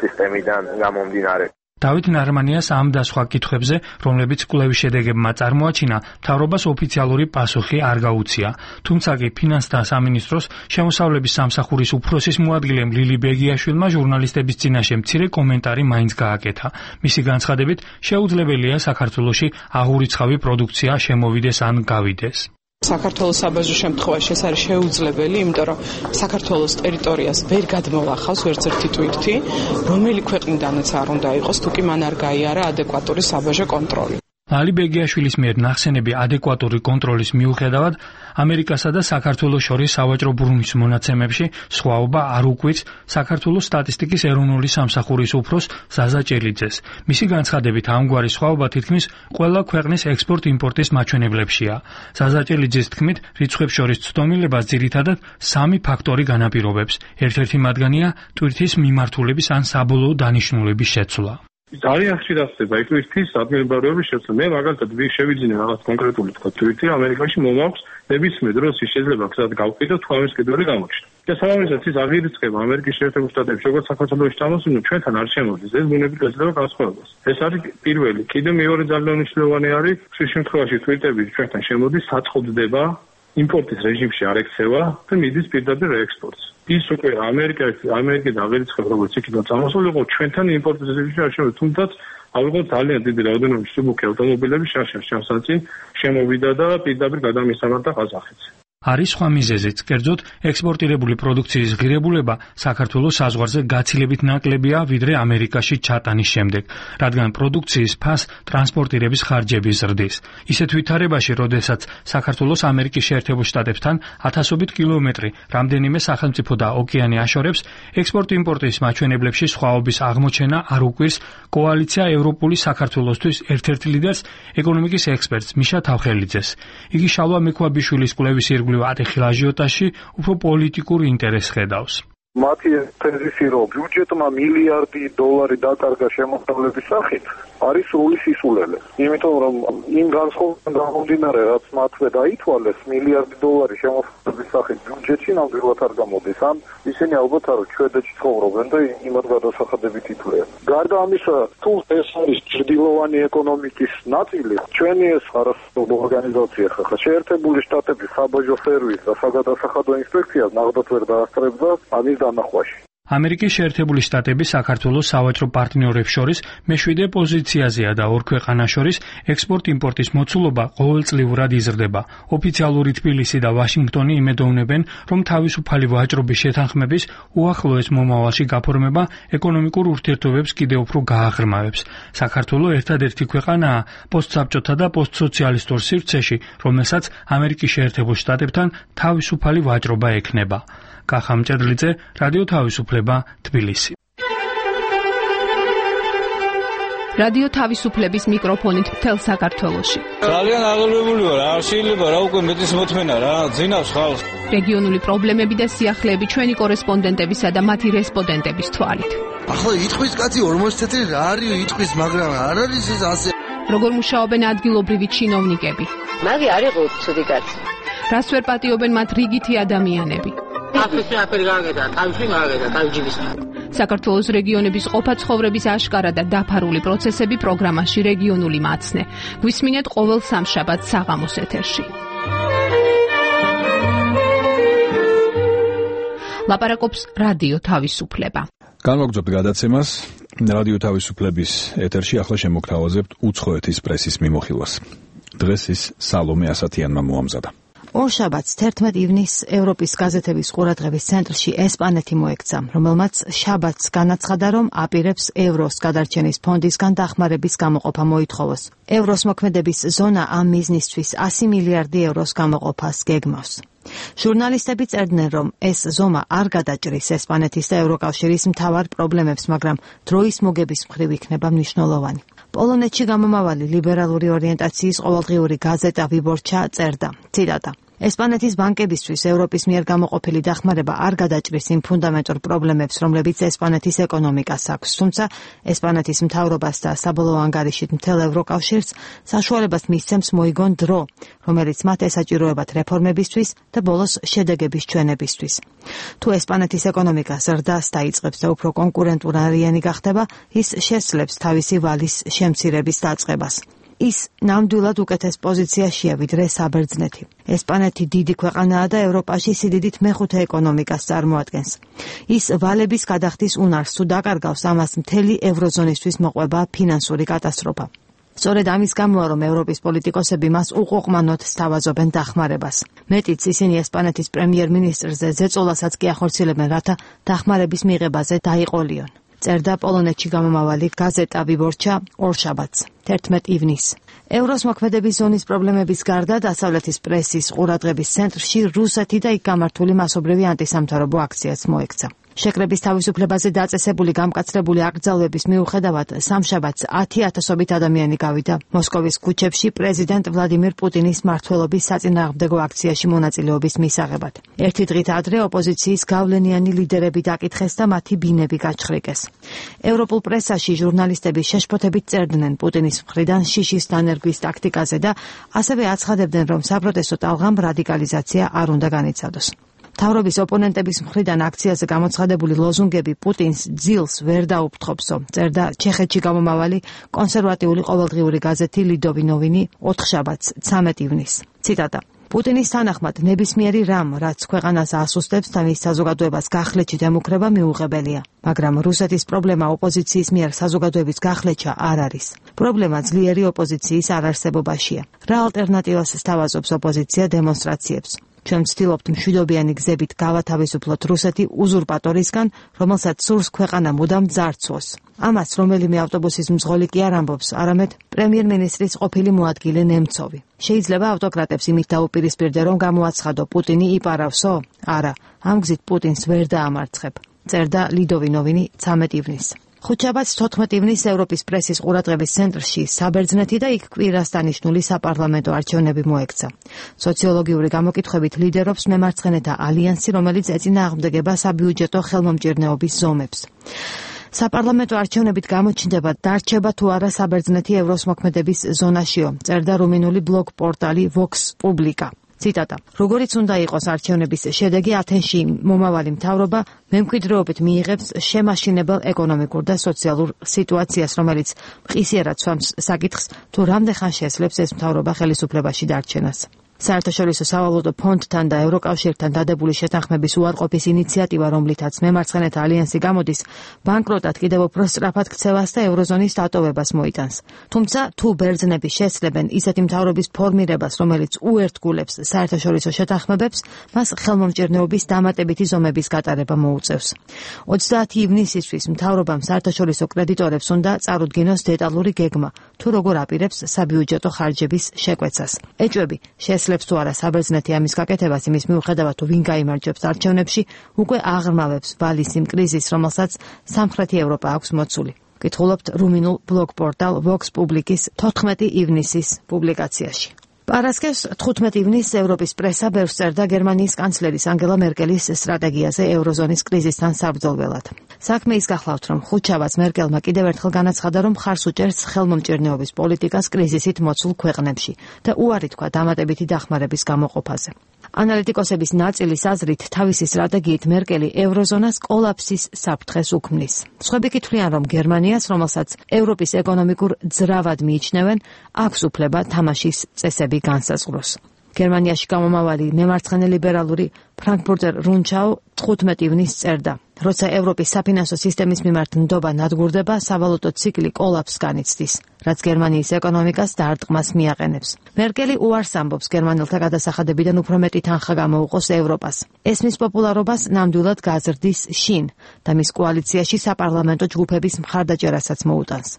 სისტემიდან გამომდინარე. დავით ნარმანიას ამ და სხვა კითხვებზე, რომლებიც კვლევის შედეგებმა წარმოაჩინა, მთავრობას ოფიციალური პასუხი არ გაუწია. თუმცა კი ფინანსთა სამინისტროს შემოსავლების სამსახურის უფროსის მოადგილემ ლილი ბეგიაშვილმა ჟურნალისტების წინაშე მცირე კომენტარი მაინც გააკეთა. მისი განცხადებით, შეუძლებელია საქართველოში აღურიცხავი პროდუქცია შემოვიდეს ან გავიდეს. საქართველოს საბაზრო შემთხვევაში ეს არის შეუძლებელი, იმიტომ რომ საქართველოს ტერიტორიას ვერ გადმოვახავს ვერც ერთი ტვირთი, რომელი ქვეყნიდანაც არ უნდა იყოს, თუ კი მან არ გაიარა ადეკვატური საბაზრო კონტროლი. ლალი ბეგიაშვილის მიერ ნახსენები ადეკვატური კონტროლის მიუხედავად, ამერიკასა და საქართველოს შორის სავაჭრო ბრუნვის მონაცემებში სხვაობა არ უკვირს საქართველოს სტატისტიკის ეროვნული სამსახურის უფროს ზაზა ჭელიძეს. მისი განცხადებით, ამგვარი სხვაობა თითქმის ყველა ქვეყნის ექსპორტ-იმპორტის მაჩვენებლებშია. ზაზა ჭელიძის თქმით, რიცხვებს შორის ცდომილებას ძირითადად 3 ფაქტორი განაპირობებს. ერთ-ერთი მათგანია ტვირთის მიმართულების ან საბოლოო დანიშნულების შეცვლა. ძალიან ხშირად ხდება ტვირთის ადგილმდებარეობის შეცვლა. მე მაგალითად შევიძინე რაღაც კონკრეტული ტვირთი ამერიკაში მომაქვს, ნებისმიერ დროს ის შეიძლება გზად გავყიდო, თუ ამის კიდევ გამოჩნდა. და სამომავლოდ ის აღირიცხება ამერიკის შეერთებულ შტატებში, როგორც საქართველოში ჩამოსული, ჩვენთან არ შემოდის. ეს ბუნებრივი ეძლევა განსხვავებას. ეს არის პირველი. კიდევ მეორე ძალიან მნიშვნელოვანი არის, ხშირ შემთხვევაში ტვირთები ჩვენთან შემოდის, საწყობდება იმპორტის რეჟიმში არ ექცევა და მიდის პირდაპირ რეექსპორტს. ის უკვე ამერიკიდან აღერიცხება, როგორც იქიდან წამოსული იყო, ჩვენთან იმპორტის რეჟიმში არ შემოდის, თუმცა ავიღოთ ძალიან დიდი რაოდენობის მსუბუქი ავტომობილები შარშან შემოვიდა და პირდაპირ გადამისამართა ყაზახეთს. არის სხვა მიზეზიც, კერძოდ ექსპორტირებული პროდუქციის ღირებულება საქართველოს საზღვარზე გაცილებით ნაკლებია, ვიდრე ამერიკაში ჩატანის შემდეგ, რადგან პროდუქციის ფას ტრანსპორტირების ხარჯები ზრდის. ისეთ ვითარებაში, როდესაც საქართველოს ამერიკის შეერთებულ შტატებთან 1000-ობით კილომეტრი რამდენიმე სახელმწიფო და ოკეანე აშორებს, ექსპორტ-იმპორტის მაჩვენებლებში სხვაობის აღმოჩენა არ უკვირს კოალიცია ევროპული საქართველოსთვის ერთ-ერთ ლიდერს, ეკონომიკის ექსპერტს მიშა თავხელიძეს. იგი შალვა მექვაბიშვილის კვლევის ატეხილ აჟიოტაჟში უფრო პოლიტიკურ ინტერესს ხედავს. მათი თეზისი, რომ ბიუჯეტმა $1 მილიარდი დაკარგა შემოსავლების სახით, არის სრული სისულელე. იმიტომ რომ იმ განსხვავებიდან გამომდინარე, რაც მათვე დაითვალეს, $1 მილიარდი შემოსავლების სახით ბიუჯეტში ნამდვილად არ გამოდის. ან ისინი ალბათ არ შვედეთში ცხოვრობენ და იმათ გადასახადებით ითვლიან. გარდა ამისა, თუ ეს არის ჭრდილოვანი ეკონომიკის ნაწილი, ჩვენი ეს არასოциальная ორგანიზაცია ხახა შეერთებული შტატების საბაჟო სერვისი და საგადასახადო ინსპექცია ნახდათ ვერ დაასწრებდა ამის დანახვაში. ამერიკის შეერთებული შტატები საქართველოს სავაჭრო პარტნიორებს შორის მე-7 პოზიციაზეა და ორ ქვეყანას შორის ექსპორტ-იმპორტის მოცულობა ყოველწლიურად იზრდება. ოფიციალური თბილისი და ვაშინგტონი იმედოვნებენ, რომ თავისუფალი ვაჭრობის შეთანხმების უახლოეს მომავალში გაფორმება ეკონომიკურ ურთიერთობებს კიდევ უფრო გააღრმავებს. საქართველო ერთადერთი ქვეყანაა პოსტსაბჭოთა და პოსტსოციალისტურ სივრცეში, რომელსაც ამერიკის შეერთებულ შტატებთან თავისუფალი ვაჭრობა ექნება. კახა მჭედლიძე, რადიო თავისუფლება, თბილისი. რადიო თავისუფლების მიკროფონით მთელ საქართველოში. ძალიან აღელვებული ვარ, არ შეიძლება რა უკვე მეტის მოთმენა რა, ძინავს ხალხს. რეგიონული პრობლემები და სიახლეები ჩვენი კორესპონდენტებისა და მათი რესპონდენტების თვალით. ახლა იტყვის კაცი 40 წელი რა არის იტყვის, მაგრამ არ არის ეს ასე. როგორ მუშაობენ ადგილობრივი ჩინოვნიკები? მაგი არ იყო ცუდი კაცი. რას ვერ პატიობენ მათ რიგითი ადამიანები? აფრიკაში აფერი გააკეთა, თავში გააკეთა, თავჯიბის. საქართველოს რეგიონების ყოფა ცხოვრების აშკარა და დაფარული პროცესები პროგრამაში რეგიონული მაცნე. გვისმინეთ ყოველ სამშაბათს საღამოს ეთერში. ლაპარაკობს რადიო თავისუფლება. განვაგრძობთ გადაცემას. რადიო თავისუფლების ეთერში ახლა შემოგთავაზებთ უცხოეთის პრესის მიმოხილვას. დღეს ის სალომე ასათიანმა მოამზადა. ორშაბათს 11 ივნისს ევროპის გაზეთების ყურადღების ცენტრში ესპანეთი მოექცა, რომელმაც შაბათს განაცხადა, რომ აპირებს ევროს გადარჩენის ფონდისგან დახმარების გამოყოფა მოითხოვოს. ევროს მოქმედების ზონა ამ მიზნისთვის 100 მილიარდი ევროს გამოყოფას გეგმავს. ჟურნალისტები წერდნენ, რომ ეს ზომა არ გადაჭრის ესპანეთის და ევროკავშირის მთავარ პრობლემებს, მაგრამ დროის მოგების მხრივ იქნება მნიშვნელოვანი. პოლონეთში გამომავალი ლიბერალური ორიენტაციის ყოველდღიური გაზეტა ვიბორჩა წერდა, ციტატა: ესპანეთის ბანკებისთვის ევროპის მიერ გამოყოფილი დახმარება არ გადაჭრის იმ ფუნდამენტურ პრობლემებს, რომლებიც ესპანეთის ეკონომიკას აქვს, თუმცა ესპანეთის მთავრობას და საბოლოო ანგარიშით მთელ ევროკავშირს საშუალებას მისცემს მოიგონ დრო, რომელიც მათ ესაჭიროებათ რეფორმებისთვის და ბოლოს შედეგების ჩვენებისთვის. თუ ესპანეთის ეკონომიკა ზრდას დაიწყებს და უფრო კონკურენტუნარიანი გახდება, ის შესძლებს თავისი ვალის შემცირების დაწყებას. ის ნამდვილად უკეთეს პოზიციაშია ვიდრე საბერძნეთი. ესპანეთი დიდი ქვეყანაა და ევროპაში სიდიდით მეხუთე ეკონომიკას წარმოადგენს. ის ვალების გადახდის უნარს თუ დაკარგავს, ამას მთელი ევროზონისთვის მოყვება ფინანსური კატასტროფა. სწორედ ამის გამოა, რომ ევროპის პოლიტიკოსები მას უყოყმანოდ სთავაზობენ დახმარებას. მეტიც ისინი ესპანეთის პრემიერ-მინისტრზე ზეწოლასაც კი ახორციელებენ, რათა დახმარების მიღებაზე დაიყოლიონ. წერდა პოლონეთში გამომავალი გაზეტა ვიბორჩა ორშაბათს 11 ივნისს. ევროს მოქმედების ზონის პრობლემების გარდა დასავლეთის პრესის ყურადღების ცენტრში რუსეთი და იქ გამართული მასობრივი ანტისამთავრობო აქციაც მოექცა. შეკრების თავისუფლებაზე დაწესებული გამკაცრებული აკრძალვების მიუხედავად სამშაბათს 10,000-ობით ადამიანი გავიდა მოსკოვის ქუჩებში პრეზიდენტ ვლადიმირ პუტინის მმართველობის საწინააღმდეგო აქციაში მონაწილეობის მისაღებად. ერთი დღით ადრე ოპოზიციის გავლენიანი ლიდერები დაკითხეს და მათი ბინები გაჩხრიკეს. ევროპულ პრესაში ჟურნალისტები შეშფოთებით წერდნენ პუტინის მხრიდან შიშის დანერგვის ტაქტიკაზე და ასევე აცხადებდნენ, რომ საპროტესტო ტალღამ რადიკალიზაცია არ უნდა განიცადოს. მთავრობის ოპონენტების მხრიდან აქციაზე გამოცხადებული ლოზუნგები პუტინს ძილს ვერ დაუფრთხობსო, წერდა ჩეხეთში გამომავალი კონსერვატიული ყოველდღიური გაზეთი ლიდოვი ნოვინი 4 შაბათს 13 ივნისს. ციტატა: პუტინის თანახმად ნებისმიერი რამ, რაც ქვეყანას ასუსტებს და მის საზოგადოებას გახლეჩით ემუქრება, მიუღებელია. მაგრამ რუსეთის პრობლემა ოპოზიციის მიერ საზოგადოების გახლეჩა არ არის. პრობლემა ძლიერი ოპოზიციის არარსებობაშია. რა ალტერნატივას სთავაზობს ოპოზიცია დემონსტრაციებს? ჩვენ ვცდილობთ მშვიდობიანი გზებით გავათავისუფლოთ რუსეთი უზურპატორისგან, რომელსაც სურს ქვეყანა მუდამ ძარცვოს. ამას რომელიმე ავტობუსის მძღოლი კი არ ამბობს, არამედ პრემიერ-მინისტრის ყოფილი მოადგილე ნემცოვი. შეიძლება ავტოკრატებს იმით დაუპირისპირდე, რომ გამოაცხადო პუტინი იპარავსო? არა, ამ გზით პუტინს ვერ დაამარცხებ. წერდა ლიდოვი ნოვინი 13 ივნისს. ხუთშაბათს 14 ივნისს ევროპის პრესის ყურადღების ცენტრში საბერძნეთი და იქ კვირას დანიშნული საპარლამენტო არჩევნები მოექცა. სოციოლოგიური გამოკითხვებით ლიდერობს მემარცხენეთა ალიანსი, რომელიც ეწინააღმდეგება საბიუჯეტო ხელმომჭირნეობის ზომებს. საპარლამენტო არჩევნებით გამოჩნდება, დარჩება თუ არა საბერძნეთი ევროს მოქმედების ზონაშიო, წერდა რუმინული ბლოგ პორტალი Vox Publica. ციტატა: როგორიც უნდა იყოს არჩევნების შედეგი, ათენში მომავალი მთავრობა მემკვიდრეობით მიიღებს შემაშინებელ ეკონომიკურ და სოციალურ სიტუაციას, რომელიც მყისიერად სვამს საკითხს, თუ რამდენხან შეძლებს ეს მთავრობა ხელისუფლებაში დარჩენას. საერთაშორისო სავალუტო ფონდთან და ევროკავშირთან დადებული შეთანხმების უარყოფის ინიციატივა, რომლითაც მემარცხენეთა ალიანსი გამოდის, ბანკროტად კიდევ უფრო სწრაფად ქცევას და ევროზონის დატოვებას მოიტანს. თუმცა, თუ ბერძნები შესწრებენ ისეთი მთავრობის ფორმირებას, რომელიც უერთგულებს საერთაშორისო შეთანხმებებს, მას ხელმომჭირნეობის დამატებითი ზომების გატარება მოუწევს. 30 ივნისისთვის მთავრობამ საერთაშორისო კრედიტორებს უნდა წარუდგინოს დეტალური გეგმა, თუ როგორ აპირებს საბიუჯეტო ხარჯების შეკვეცას. ეჭვები შესლებს თუ არა საბერძნეთი ამის გაკეთებას, იმის მიუხედავად თუ ვინ გაიმარჯვებს არჩევნებში, უკვე აღრმავებს ვალის იმ კრიზისს, რომელსაც სამხრეთი ევროპა აქვს მოცული. გითხულობთ რუმინულ ბლოგ პორტალ Vox Publicis 14 ივნისის პუბლიკაციაში. პარასკევს 15 ივნისს ევროპის პრესა ბევრს წერდა გერმანიის კანცლერის ანგელა მერკელის სტრატეგიაზე ევროზონის კრიზისთან საბრძოლველად. საქმე ის გახლავთ, რომ ხუთშაბათს მერკელმა კიდევ ერთხელ განაცხადა, რომ ხარს უჭერს ხელმომჭირნეობის პოლიტიკას კრიზისით მოცულ ქვეყნებში და უარი თქვა დამატებითი დახმარების გამოყოფაზე. ანალიტიკოსების ნაწილის აზრით, თავისი სტრატეგიით მერკელი ევროზონას კოლაფსის საფრთხეს უქმნის. სხვები თვლიან, რომ გერმანიას, რომელსაც ევროპის ეკონომიკურ ძრავად მიიჩნევენ, აქვს უფლება თამაშის წესები განსაზღვროს. გერმანიაში გამომავალი მემარცხენე ლიბერალური ფრანკფურტერ რუნჩაუ 15 ივნისს წერდა, როცა ევროპის საფინანსო სისტემის მიმართ ნდობა ნადგურდება, სავალუტო ციკლი კოლაფსს განიცდის, რაც გერმანიის ეკონომიკას დარტყმას მიაყენებს. მერკელი უარს ამბობს გერმანელთა გადასახადებიდან უფრო მეტი თანხა გამოუყოს ევროპას. ეს მის პოპულარობას ნამდვილად გაზრდის შინ და მის კოალიციაში საპარლამენტო ჯგუფების მხარდაჭერასაც მოუტანს.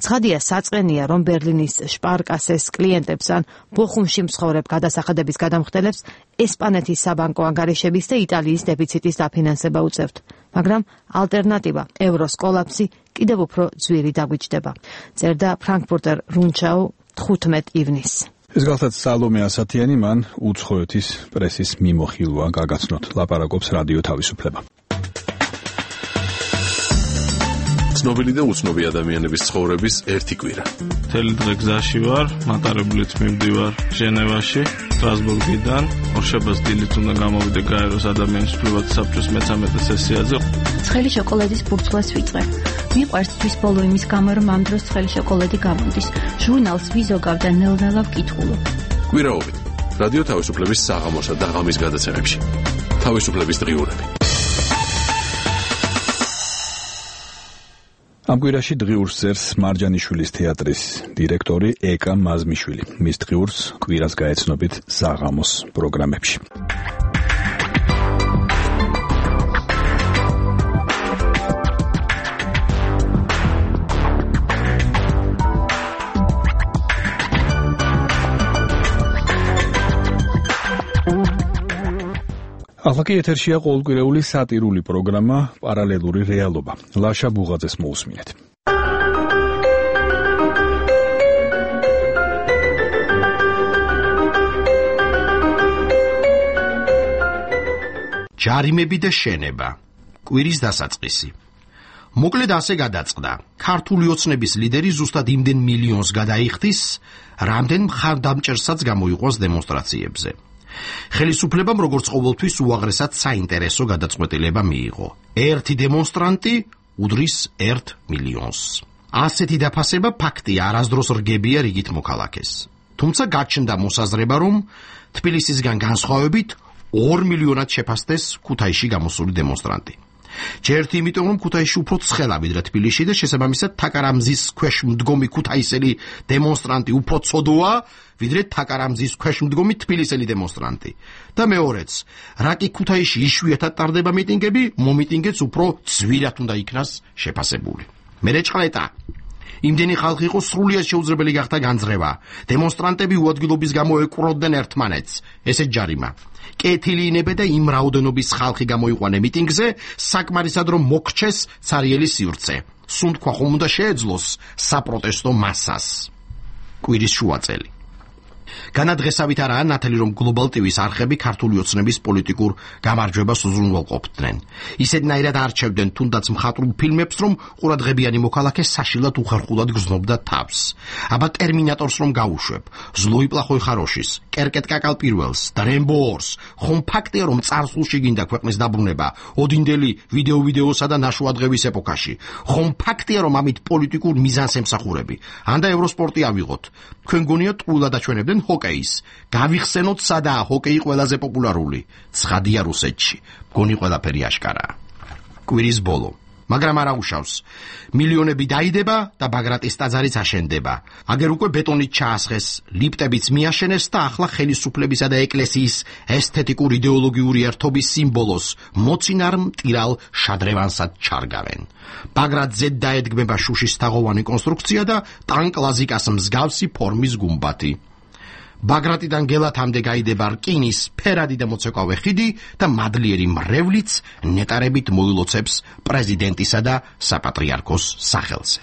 ცხადია, საწყენია, რომ ბერლინის შპარკასეს კლიენტებს ან ბოხუმში მსხოვრებ გადასახადების გადამხდელებს ესპანეთის საბანკო ანგარიშების და იტალიის დეფიციტის დაფინანსება უწევთ. მაგრამ ალტერნატივა, ევროს კოლაფსი კიდევ უფრო ძვირი დაგვიჯდება. წერდა ფრანკფურტერ რუნჩაუ 15 ივნისს. ეს გახლავთ სალომე ასათიანი, მან უცხოეთის პრესის მიმოხილვა გაგაცნოთ. ლაპარაკობს რადიო თავისუფლება. ცნობილი და უცნობი ადამიანების ცხოვრების ერთი კვირა. მთელი დღე გზაში ვარ, მატარებლით მივდივარ ჟენევაში, სტრასბურგიდან. ორშაბათს დილით უნდა გამოვიდე გაეროს ადამიანის უფლებათა საბჭოს მე-13 სესიაზე. ცხელი შოკოლადის ბურცლას ვიწყე. მიყვარს თვის ბოლო იმის გამო, რომ ამ დროს ცხელი შოკოლადი გამოდის. ჟურნალს ვიზოგავ და ნელ-ნელა ვკითხულობ. კვირაობით რადიო თავისუფლების საღამოსა და ღამის გადაცემებში. თავისუფლების დღიურები. ამ კვირაში დღიურს წერს მარჯანიშვილის თეატრის დირექტორი ეკა მაზმიშვილი. მის დღიურს კვირას გაეცნობით საღამოს პროგრამებში. ახლა კი ეთერშია ყოველკვირეული სატირული პროგრამა პარალელური რეალობა. ლაშა ბუღაძეს მოусმინეთ. ჯარიმები და შენება. კვირის დასაწყისი. მოკლედ ასე გადაწყდა. ქართული ოცნების ლიდერი ზუსტად იმდენ მილიონს გადაიხდის, რამდენ მხარდამჭერსაც გამოიყვანს დემონსტრაციებზე. ხელისუფლებამ როგორც ყოველთვის უაღრესად საინტერესო გადაწყვეტილება მიიღო. ერთი დემონსტრანტი უდრის 1 მილიონს. ასეთი დაფასება ფაქტია, არასდროს რგებია რიგით მოქალაქეს. თუმცა გაჩნდა მოსაზრება, რომ თბილისისგან განსხვავებით 2 მილიონად შეფასდეს ქუთაისში გამოსული დემონსტრანტი. ჯერთ იმიტომ, რომ ქუთაისში უფრო ცხელა ვიდრე თბილისში და შესაბამისად თაკარამზის ქვეშ მდგომი ქუთაისელი დემონსტრანტი უფრო ცოდოა, ვიდრე თაკარამზის ქვეშ მდგომი თბილისელი დემონსტრანტი. და მეორეც, რა კი ქუთაისში იშვიათად ტარდება მიტინგები, მომიტინგეც უფრო ძვირად უნდა იქნას შეფასებული. მერეჭყლეტა. იმდენი ხალხი იყო სრულიად შეუძლებელი გახდა განძრევა. დემონსტრანტები უადგილობის გამო ეკვროდნენ ერთმანეთს. ესეც ჯარიმა. კეთილი ინებე და იმ რაოდენობის ხალხი გამოიყვანე მიტინგზე, საკმარისად რომ მოგჩეს ცარიელი სივრცე. სუნთქვა ხომ უნდა შეეძლოს საპროტესტო მასას. კვირის შუაწელი. განადღესავით არაა ნათელი, რომ Global TV-ს არხები ქართული ოცნების პოლიტიკურ გამარჯვებას უზრუნველყოფდნენ. ისედნაირად არჩევდნენ თუნდაც მხატვრულ ფილმებს, რომ ყურადღებიანი მოქალაქე საშილად უხერხულად გრძნობდა თავს. აბა ტერმინატორს რომ გაუშვებ, ზლოი პლახოი ხაროშის, კერკეტ კაკალ პირველს და რემბოორს, ხომ ფაქტია, რომ წარსულში გინდა ქვეყნის დაბრუნება, ოდინდელი ვიდეოსა და ნაშუადღების ეპოქაში. ხომ ფაქტია, რომ ამით პოლიტიკურ მიზანს ემსახურები. ან და ევროსპორტი ავიღოთ. თქვენ გონიათ ტყუილად აჩვენებდნენ ჩვენ ჰოკეის. გავიხსენოთ სადაა ჰოკეი ყველაზე პოპულარული. ცხადია რუსეთში. მგონი ყველაფერი აშკარაა. კვირის ბოლო. მაგრამ არა უშავს. მილიონები დაიდება და ბაგრატის ტაძარიც აშენდება. აგერ უკვე ბეტონით ჩაასხეს, ლიფტებიც მიაშენეს და ახლა ხელისუფლებისა და ეკლესიის ესთეტიკურ იდეოლოგიური ერთობის სიმბოლოს მოცინარ მტირალ შადრევანსად ჩარგავენ. ბაგრატზე დაედგმება შუშის თაღოვანი კონსტრუქცია და ტანკლაზიკას მსგავსი ფორმის გუმბათი. ბაგრატიდან გელათამდე გაიდება რკინის ფერადი და მოცეკვავე ხიდი და მადლიერი მრევლიც ნეტარებით მოილოცებს პრეზიდენტისა და საპატრიარქოს სახელზე.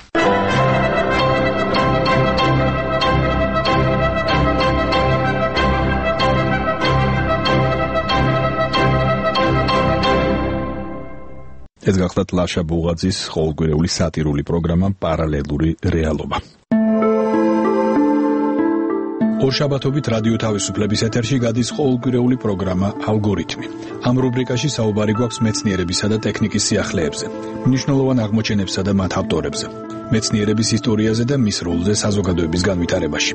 ეს გახლავთ ლაშა ბუღაძის ყოველკვირეული სატირული პროგრამა პარალელური რეალობა. ორშაბათობით რადიო თავისუფლების ეთერში გადის ყოველკვირეული პროგრამა ალგორითმი. ამ რუბრიკაში საუბარი გვაქვს მეცნიერებისა და ტექნიკის სიახლეებზე, მნიშვნელოვან აღმოჩენებსა და მათ ავტორებზე, მეცნიერების ისტორიაზე და მის როლზე საზოგადოების განვითარებაში.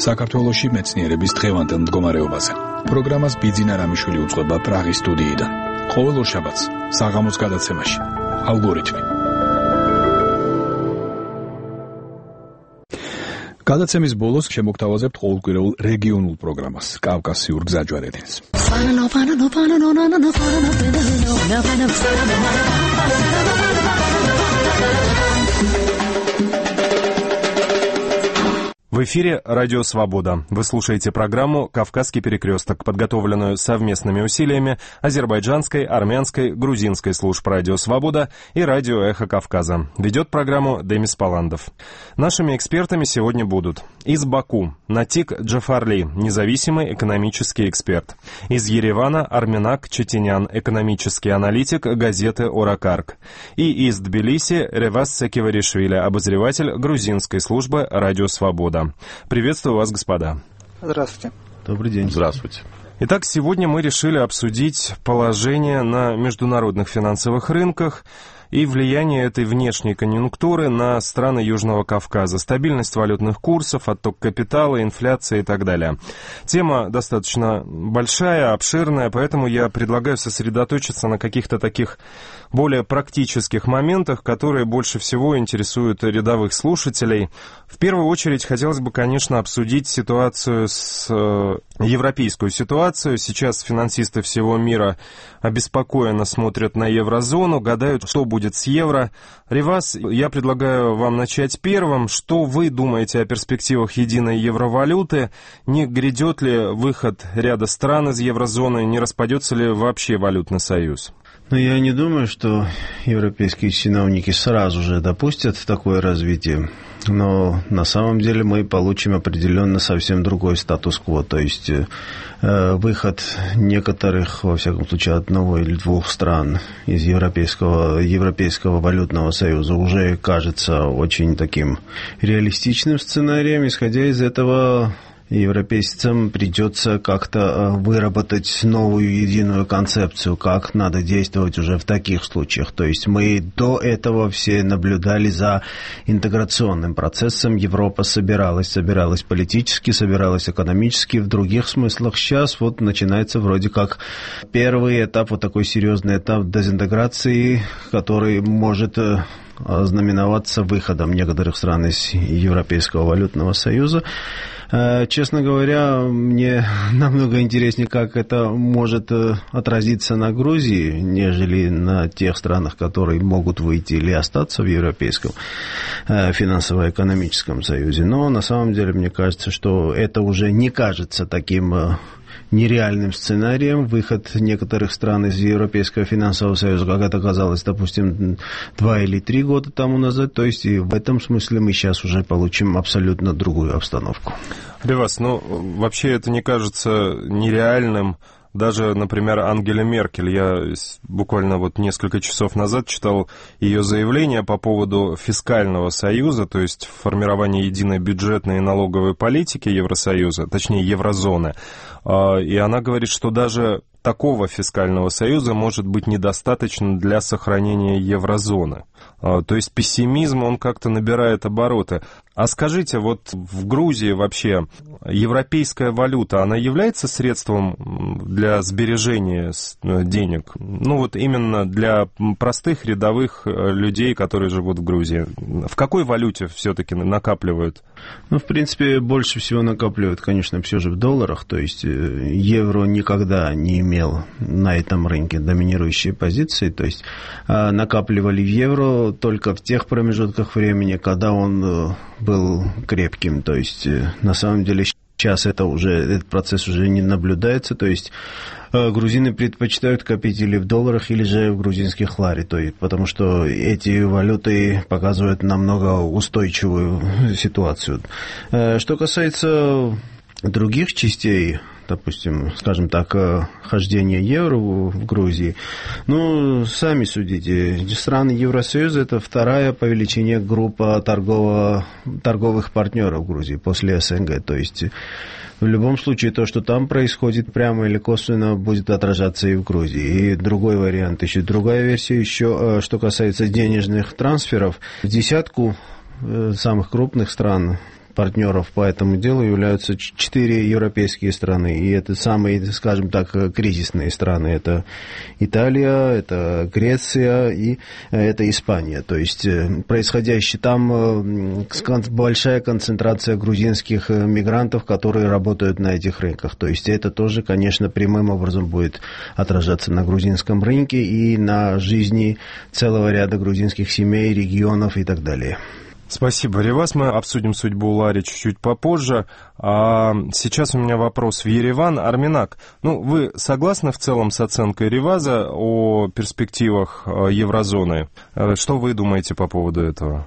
საქართველოში მეცნიერების დღევანდელ მდგომარეობაზე. პროგრამას ბიძინა რამიშვილი უძღვება პრაღის სტუდიიდან. ყოველ ორშაბათს საღამოს გადაცემაში ალგორითმი. გადაცემის ბოლოს შემოგთავაზებთ ყოველკვირეულ რეგიონულ პროგრამას კავკასიურ გზაჯვარედინს. В эфире «Радио Свобода». Вы слушаете программу «Кавказский перекресток», подготовленную совместными усилиями азербайджанской, армянской, грузинской служб «Радио Свобода» и «Радио Эхо Кавказа». Ведет программу Демис Паландов. Нашими экспертами сегодня будут из Баку Натик Джафарли, независимый экономический эксперт. Из Еревана Арменак Четенян, экономический аналитик газеты «Оракарк». И из Тбилиси Ревас Секиваришвили, обозреватель грузинской службы «Радио Свобода». Приветствую вас, господа. Здравствуйте. Добрый день. Здравствуйте. Итак, сегодня мы решили обсудить положение на международных финансовых рынках и влияние этой внешней конъюнктуры на страны Южного Кавказа, стабильность валютных курсов, отток капитала, инфляция и так далее. Тема достаточно большая, обширная, поэтому я предлагаю сосредоточиться на каких-то таких более практических моментах, которые больше всего интересуют рядовых слушателей. В первую очередь хотелось бы, конечно, обсудить ситуацию европейскую ситуацию. Сейчас финансисты всего мира обеспокоенно смотрят на еврозону, гадают, что будет с евро. Ревас, я предлагаю вам начать первым. Что вы думаете о перспективах единой евровалюты? Не грядет ли выход ряда стран из еврозоны? Не распадется ли вообще валютный союз? Но я не думаю, что европейские чиновники сразу же допустят такое развитие. Но на самом деле мы получим определенно совсем другой статус-кво. То есть выход некоторых, во всяком случае, одного или двух стран из Европейского валютного союза уже кажется очень таким реалистичным сценарием. Исходя из этого, европейцам придется как-то выработать новую единую концепцию, как надо действовать уже в таких случаях. То есть мы до этого все наблюдали за интеграционным процессом. Европа собиралась политически, собиралась экономически, в других смыслах. Сейчас вот начинается вроде как первый этап, вот такой серьезный этап дезинтеграции, который может знаменоваться выходом некоторых стран из Европейского валютного союза. Честно говоря, мне намного интереснее, как это может отразиться на Грузии, нежели на тех странах, которые могут выйти или остаться в Европейском финансово-экономическом союзе. Но на самом деле мне кажется, что это уже не кажется таким нереальным сценарием, выход некоторых стран из Европейского финансового союза, как это казалось, допустим, 2 или 3 года тому назад. То есть и в этом смысле мы сейчас уже получим абсолютно другую обстановку. Ревас, вообще это не кажется нереальным. Даже, например, Ангела Меркель, я буквально вот несколько часов назад читал ее заявление по поводу фискального союза, то есть формирования единой бюджетной и налоговой политики Евросоюза, точнее еврозоны. И она говорит, что даже такого фискального союза может быть недостаточно для сохранения еврозоны. То есть пессимизм, он как-то набирает обороты. А скажите, вот в Грузии вообще европейская валюта, она является средством для сбережения денег? Ну вот именно для простых рядовых людей, которые живут в Грузии. В какой валюте все-таки накапливают? Ну, в принципе, больше всего накапливают, конечно, все же в долларах. То есть евро никогда не имел на этом рынке доминирующие позиции. То есть накапливали в евро только в тех промежутках времени, когда он был крепким. То есть на самом деле сейчас этот процесс уже не наблюдается. То есть грузины предпочитают копить или в долларах, или же в грузинских лари, потому что эти валюты показывают намного устойчивую ситуацию. Что касается других частей, допустим, скажем так, хождения евро в Грузии, ну, сами судите, страны Евросоюза – это вторая по величине группа торговых партнеров Грузии после СНГ, то есть в любом случае то, что там происходит, прямо или косвенно будет отражаться и в Грузии. И другой вариант, еще другая версия, еще что касается денежных трансферов, в десятку самых крупных стран партнеров по этому делу являются 4 европейские страны. И это самые, скажем так, кризисные страны. Это Италия, это Греция и это Испания. То есть происходящее там большая концентрация грузинских мигрантов, которые работают на этих рынках. То есть это тоже, конечно, прямым образом будет отражаться на грузинском рынке и на жизни целого ряда грузинских семей, регионов и так далее. Спасибо, Реваз. Мы обсудим судьбу Лари чуть-чуть попозже. А сейчас у меня вопрос в Ереван. Арменак, вы согласны в целом с оценкой Реваза о перспективах еврозоны? Что вы думаете по поводу этого?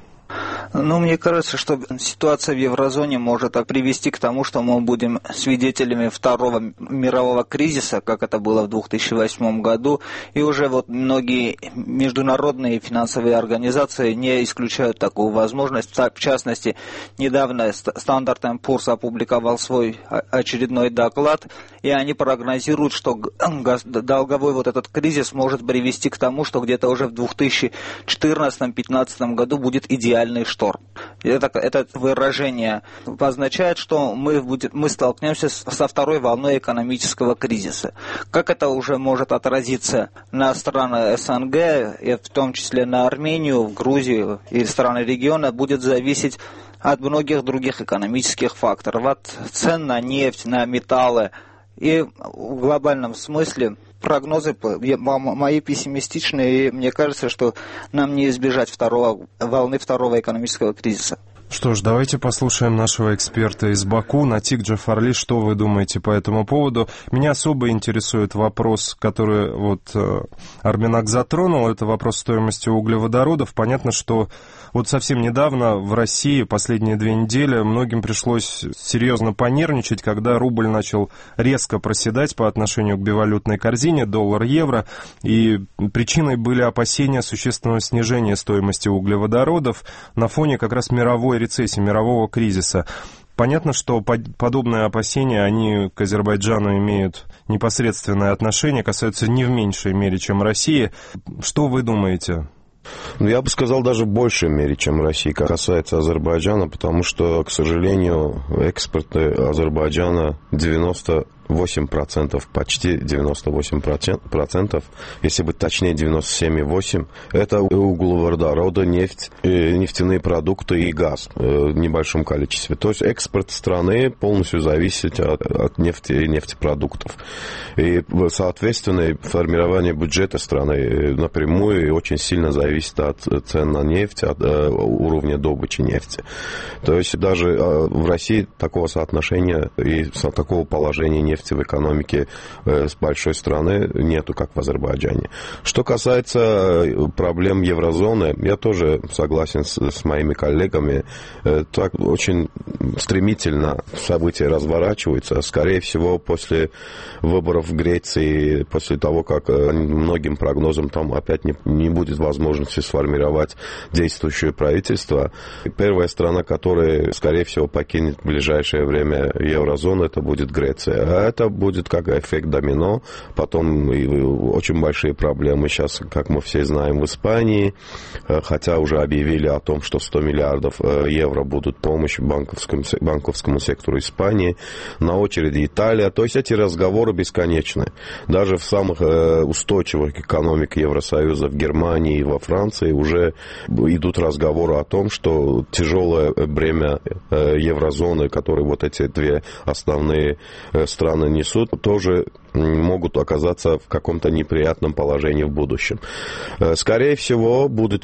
Мне кажется, что ситуация в еврозоне может привести к тому, что мы будем свидетелями второго мирового кризиса, как это было в 2008 году, и уже многие международные финансовые организации не исключают такую возможность. В частности, недавно Standard & Poor's опубликовал свой очередной доклад, и они прогнозируют, что долговой этот кризис может привести к тому, что где-то уже в 2014-2015 году будет идеальный шторм. Это выражение означает, что мы столкнемся со второй волной экономического кризиса. Как это уже может отразиться на страны СНГ, и в том числе на Армению, Грузию и страны региона, будет зависеть от многих других экономических факторов, от цен на нефть, на металлы. И в глобальном смысле прогнозы мои пессимистичные, и мне кажется, что нам не избежать волны второго экономического кризиса. Что ж, давайте послушаем нашего эксперта из Баку, Натик Джафарли, что вы думаете по этому поводу. Меня особо интересует вопрос, который Арменак затронул, это вопрос стоимости углеводородов. Понятно, что совсем недавно в России, последние 2 недели, многим пришлось серьезно понервничать, когда рубль начал резко проседать по отношению к бивалютной корзине, доллар-евро, и причиной были опасения существенного снижения стоимости углеводородов на фоне как раз мировой рецессии, мирового кризиса. Понятно, что подобные опасения, они к Азербайджану имеют непосредственное отношение, касаются не в меньшей мере, чем России. Что вы думаете? Я бы сказал, даже в большей мере, чем Россия, касается Азербайджана, потому что, к сожалению, экспорт Азербайджана 98%, почти 98%, если быть точнее 97,8%, это углеводороды, нефть, нефтяные продукты и газ в небольшом количестве. То есть экспорт страны полностью зависит от нефти и нефтепродуктов. И, соответственно, формирование бюджета страны напрямую и очень сильно зависит от цен на нефть, от уровня добычи нефти. То есть даже в России такого соотношения и такого положения нефти в экономике с большой страны нету, как в Азербайджане. Что касается проблем еврозоны, я тоже согласен с моими коллегами. Так очень стремительно события разворачиваются. Скорее всего, после выборов в Греции, после того, как многим прогнозам там опять не будет возможности сформировать действующее правительство, первая страна, которая, скорее всего, покинет в ближайшее время еврозону, это будет Греция. А это будет как эффект домино. Потом очень большие проблемы сейчас, как мы все знаем, в Испании, хотя уже объявили о том, что 100 миллиардов евро будут помощь банковскому сектору Испании. На очереди Италия. То есть эти разговоры бесконечны. Даже в самых устойчивых экономиках Евросоюза, в Германии и во Франции уже идут разговоры о том, что тяжелое бремя еврозоны, которые вот эти две основные страны несут, тоже могут оказаться в каком-то неприятном положении в будущем. Скорее всего, будет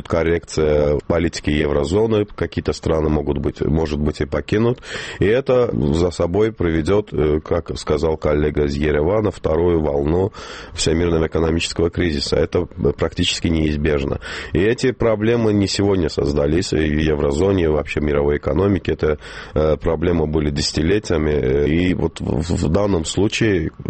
коррекция политики еврозоны, какие-то страны может быть и покинут, и это за собой приведет, как сказал коллега из Еревана, вторую волну всемирного экономического кризиса. Это практически неизбежно. И эти проблемы не сегодня создались в еврозоне, вообще мировой экономике. Это проблемы были десятилетиями, и вот в данном случае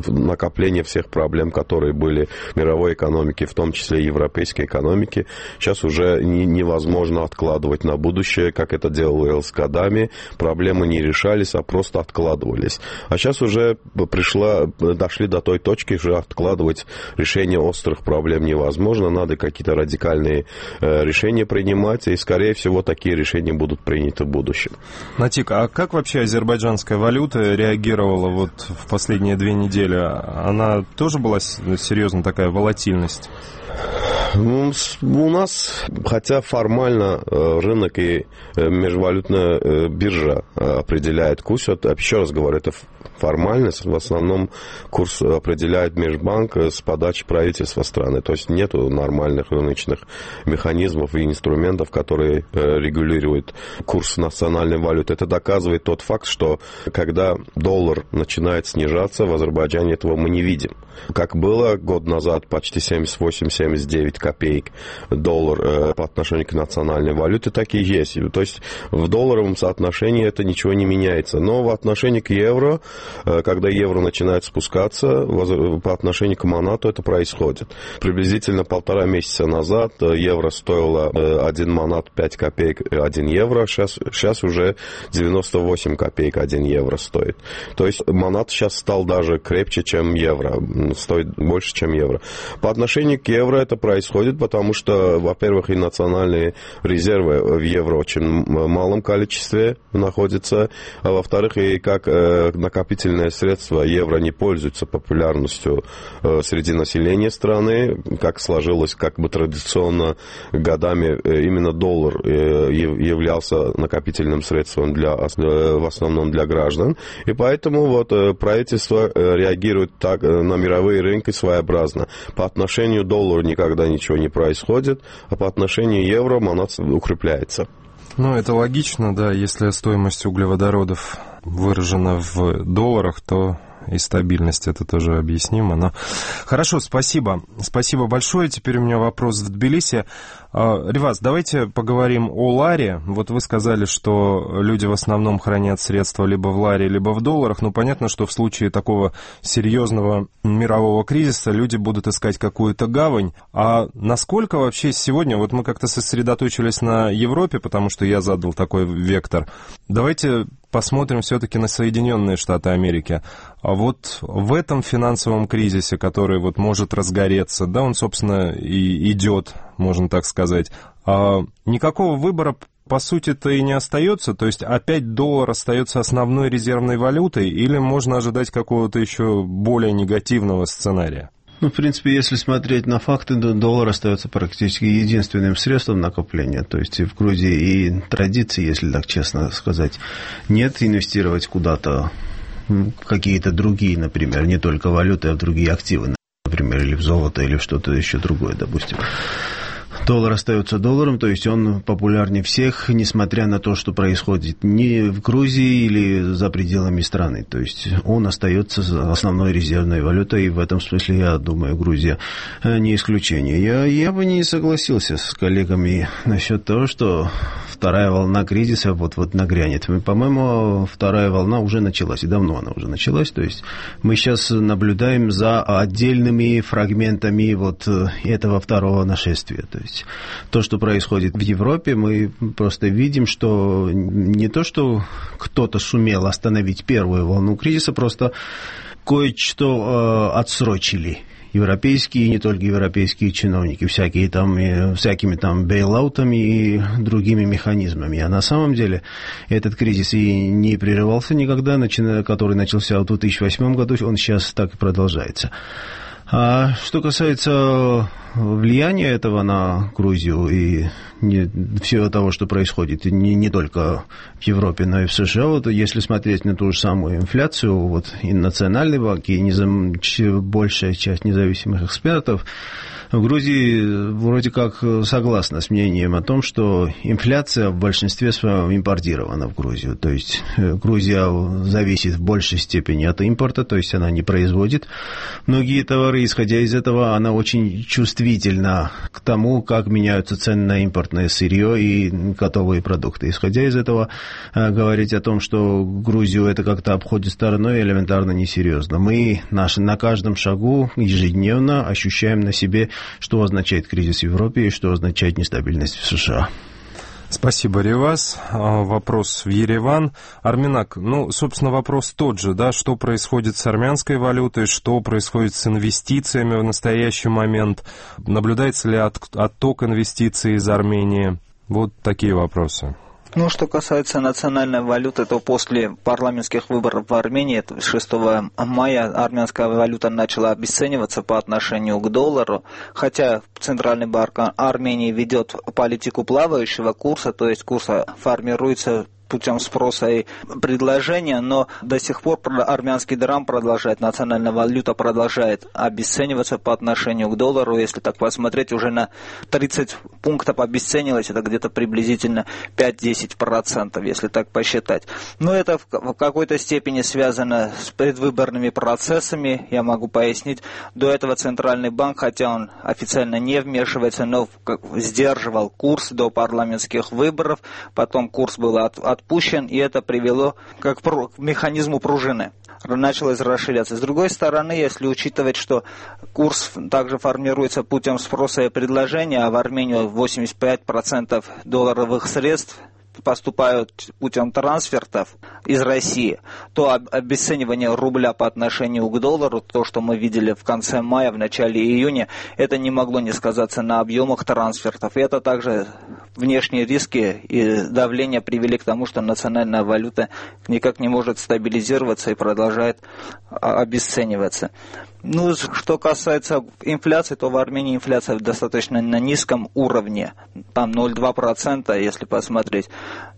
накопление всех проблем, которые были в мировой экономике, в том числе и европейской экономике, сейчас уже невозможно откладывать на будущее, как это делалось годами. Проблемы не решались, а просто откладывались. А сейчас уже дошли до той точки, что откладывать решение острых проблем невозможно. Надо какие-то радикальные решения принимать, и, скорее всего, такие решения будут приняты в будущем. Натик, а как вообще азербайджанская валюта реагировала вот в последние 2 недели? Она тоже была серьезно такая волатильность? У нас, хотя формально рынок и межвалютная биржа определяет курс, еще раз говорю, это формальность, в основном курс определяет Межбанк с подачи правительства страны, то есть нет нормальных рыночных механизмов и инструментов, которые регулируют курс национальной валюты. Это доказывает тот факт, что когда доллар начинает снижаться, в Азербайджане этого мы не видим. Как было год назад, почти 78-79 копеек доллар по отношению к национальной валюте, так и есть. То есть в долларовом соотношении это ничего не меняется. Но в отношении к евро, когда евро начинает спускаться, по отношению к манату это происходит. Приблизительно 1,5 месяца назад евро стоило 1 манат 5 копеек 1 евро, сейчас уже 98 копеек 1 евро стоит. То есть манат сейчас стал даже крепче, чем евро, стоит больше, чем евро. По отношению к евро это происходит, потому что, во-первых, и национальные резервы в евро очень малом количестве находятся, а во-вторых, и как накопительное средство евро не пользуется популярностью среди населения страны, как сложилось как бы традиционно годами, именно доллар являлся накопительным средством в основном для граждан, и поэтому вот правительство реагирует так на мировые рынки своеобразно. По отношению к доллару никогда ничего не происходит, а по отношению к евро манат укрепляется. Ну, это логично, да, если стоимость углеводородов выражена в долларах, то и стабильность это тоже объяснимо. Но... Хорошо, спасибо. Спасибо большое. Теперь у меня вопрос в Тбилиси. Риваз, давайте поговорим о ларе. Вот вы сказали, что люди в основном хранят средства либо в ларе, либо в долларах. Ну, понятно, что в случае такого серьезного мирового кризиса люди будут искать какую-то гавань. А насколько вообще сегодня, вот мы как-то сосредоточились на Европе, потому что я задал такой вектор. Давайте посмотрим все-таки на Соединенные Штаты Америки. А вот в этом финансовом кризисе, который вот может разгореться, да, он, собственно, и идет, можно так сказать, никакого выбора, по сути-то, и не остается. То есть опять доллар остается основной резервной валютой, или можно ожидать какого-то еще более негативного сценария? Ну, в принципе, если смотреть на факты, доллар остается практически единственным средством накопления. То есть в Грузии и традиции, если так честно сказать, нет инвестировать куда-то какие-то другие, например, не только валюты, а в другие активы, например, или в золото, или в что-то еще другое, допустим. Доллар остается долларом, то есть он популярнее всех, несмотря на то, что происходит не в Грузии или за пределами страны. То есть он остается основной резервной валютой, и в этом смысле, я думаю, Грузия не исключение. Я бы не согласился с коллегами насчет того, что вторая волна кризиса вот нагрянет. По-моему, вторая волна уже началась, и давно она уже началась. То есть мы сейчас наблюдаем за отдельными фрагментами вот этого второго нашествия. То есть то, что происходит в Европе, мы просто видим, что не то, что кто-то сумел остановить первую волну кризиса, просто кое-что отсрочили. Европейские и не только европейские чиновники, всякими там бейлаутами и другими механизмами. А на самом деле этот кризис и не прерывался никогда, который начался в 2008 году, он сейчас так и продолжается. А что касается влияния этого на Грузию и всего того, что происходит не только в Европе, но и в США, вот если смотреть на ту же самую инфляцию, вот и Национальный банк, и большая часть независимых экспертов в Грузии вроде как согласна с мнением о том, что инфляция в большинстве своем импортирована в Грузию. То есть Грузия зависит в большей степени от импорта, то есть она не производит многие товары. Исходя из этого, она очень чувствительна к тому, как меняются цены на импортное сырье и готовые продукты. Исходя из этого, говорить о том, что Грузию это как-то обходит стороной, элементарно несерьезно. Мы на каждом шагу ежедневно ощущаем на себе, что означает кризис в Европе и что означает нестабильность в США. Спасибо, Реваз. Вопрос в Ереван. Арменак, собственно, вопрос тот же, да, что происходит с армянской валютой, что происходит с инвестициями в настоящий момент, наблюдается ли отток инвестиций из Армении? Вот такие вопросы. Что касается национальной валюты, то после парламентских выборов в Армении 6 мая армянская валюта начала обесцениваться по отношению к доллару, хотя Центральный банк Армении ведет политику плавающего курса, то есть курс формируется путем спроса и предложения, но до сих пор армянский драм продолжает, национальная валюта продолжает обесцениваться по отношению к доллару. Если так посмотреть, уже на 30 пунктов обесценилось, это где-то приблизительно 5-10%, если так посчитать. Но это в какой-то степени связано с предвыборными процессами, я могу пояснить. До этого Центральный банк, хотя он официально не вмешивается, но сдерживал курс до парламентских выборов, потом курс был отпущен, и это привело к механизму пружины. Началось расширяться. С другой стороны, если учитывать, что курс также формируется путем спроса и предложения, а в Армению 85% долларовых средств поступают путем трансфертов из России, то обесценивание рубля по отношению к доллару, то, что мы видели в конце мая, в начале июня, это не могло не сказаться на объемах трансфертов. И это также внешние риски и давление привели к тому, что национальная валюта никак не может стабилизироваться и продолжает обесцениваться. Что касается инфляции, то в Армении инфляция достаточно на низком уровне, там 0,2%, если посмотреть.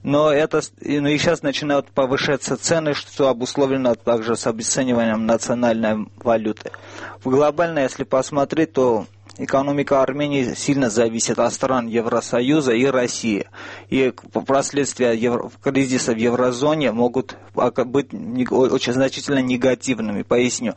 Но и сейчас начинают повышаться цены, что обусловлено также с обесцениванием национальной валюты. Глобально, если посмотреть, то экономика Армении сильно зависит от стран Евросоюза и России. И последствия кризиса в еврозоне могут быть очень значительно негативными. Поясню.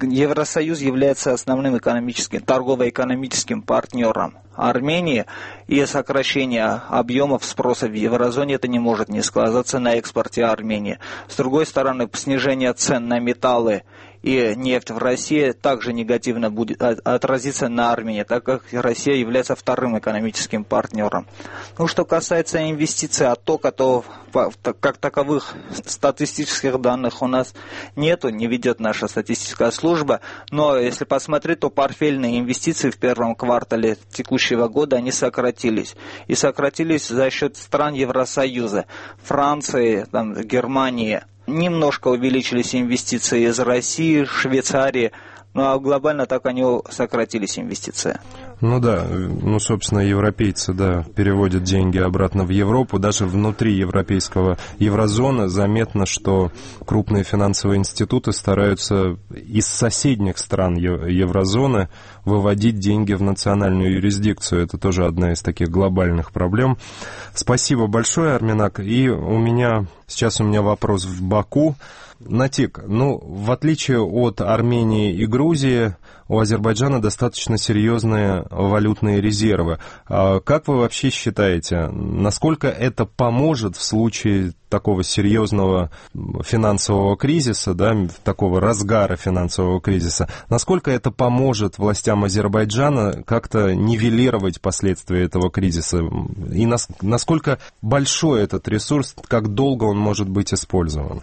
Евросоюз является основным торгово-экономическим партнером Армении, и сокращение объемов спроса в еврозоне это не может не сказаться на экспорте Армении. С другой стороны, снижение цен на металлы и нефть в России также негативно будет отразиться на Армении, так как Россия является вторым экономическим партнером. Что касается инвестиций, оттока, то как таковых статистических данных у нас нету, не ведет наша статистическая служба, но если посмотреть, то портфельные инвестиции в первом квартале текущего года они сократились. И сократились за счет стран Евросоюза, Франции, Германии. Немножко увеличились инвестиции из России, Швейцарии, а глобально так они сократились инвестиции. Ну да, собственно, европейцы, переводят деньги обратно в Европу. Даже внутри еврозоны заметно, что крупные финансовые институты стараются из соседних стран еврозоны выводить деньги в национальную юрисдикцию. Это тоже одна из таких глобальных проблем. Спасибо большое, Арменак. И сейчас у меня вопрос в Баку. Натик, в отличие от Армении и Грузии, у Азербайджана достаточно серьезные валютные резервы. Как вы вообще считаете, насколько это поможет в случае такого серьезного финансового кризиса, такого разгара финансового кризиса, насколько это поможет властям Азербайджана как-то нивелировать последствия этого кризиса? И насколько большой этот ресурс, как долго он может быть использован?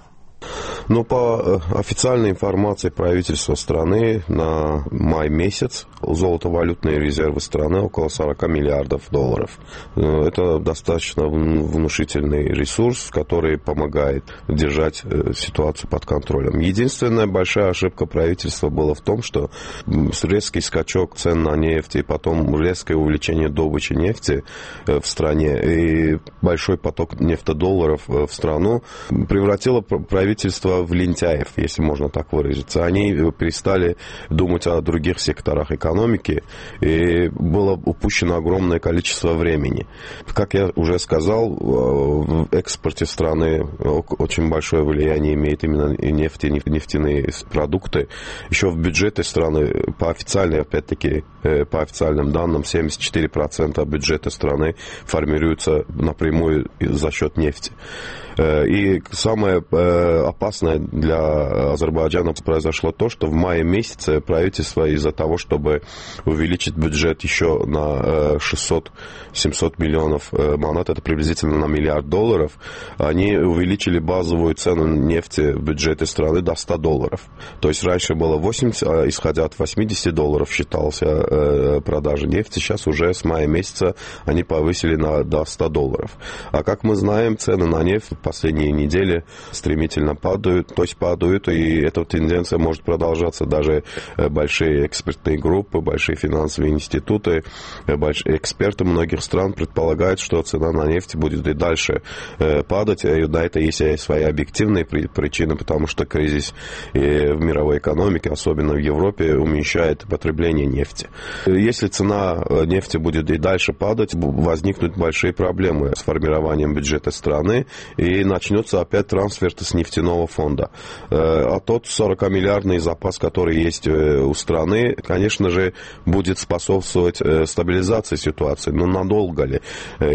По официальной информации правительства страны на май месяц золотовалютные резервы страны около 40 миллиардов долларов. Это достаточно внушительный ресурс, который помогает держать ситуацию под контролем. Единственная большая ошибка правительства была в том, что резкий скачок цен на нефть и потом резкое увеличение добычи нефти в стране и большой поток нефтедолларов в страну превратило правительство в лентяев, если можно так выразиться. Они перестали думать о других секторах экономики, и было упущено огромное количество времени. Как я уже сказал, в экспорте страны очень большое влияние имеет именно нефть и нефтяные продукты. Еще в бюджете страны, по официальным данным, 74% бюджета страны формируется напрямую за счет нефти. И самое опасное для Азербайджана произошло то, что в мае месяце правительство из-за того, чтобы увеличить бюджет еще на 600-700 миллионов манат, это приблизительно на $1 миллиард, они увеличили базовую цену нефти в бюджете страны до $100. То есть раньше было 80, а исходя от $80 считался продажа нефти, сейчас уже с мая месяца они повысили до $100. А как мы знаем, цены на нефть в последние недели стремительно падают, и эта тенденция может продолжаться. Даже большие экспертные группы, большие финансовые институты, эксперты многих стран предполагают, что цена на нефть будет и дальше падать. И на это есть свои объективные причины, потому что кризис в мировой экономике, особенно в Европе, уменьшает потребление нефти. Если цена нефти будет и дальше падать, возникнут большие проблемы с формированием бюджета страны, и начнется опять трансфер с нефтяного фонда. А тот 40-миллиардный запас, который есть у страны, конечно же, будет способствовать стабилизации ситуации. Но надолго ли?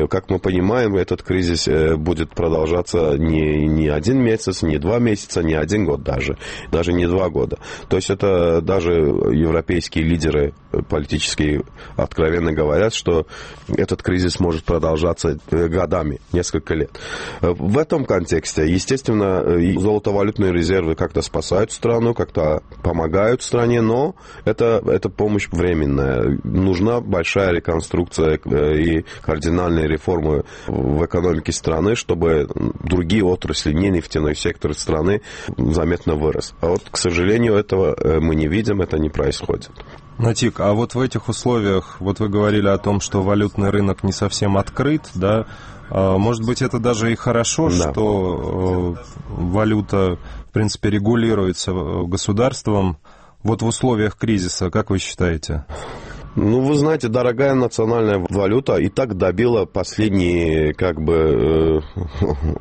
Как мы понимаем, этот кризис будет продолжаться не 1 месяц, не 2 месяца, не 1 год даже не 2 года. То есть это даже европейские лидеры политические откровенно говорят, что этот кризис может продолжаться годами, несколько лет. В этом контексте, естественно, золотовалютные резервы как-то спасают страну, как-то помогают стране, но это помощь временная. Нужна большая реконструкция и кардинальные реформы в экономике страны, чтобы другие отрасли, не нефтяной сектор страны, заметно вырос. А к сожалению, этого мы не видим, это не происходит. Натик, а в этих условиях, вы говорили о том, что валютный рынок не совсем открыт, может быть, это даже и хорошо, что валюта, в принципе, регулируется государством. В условиях кризиса, как вы считаете? Вы знаете, дорогая национальная валюта и так добила последние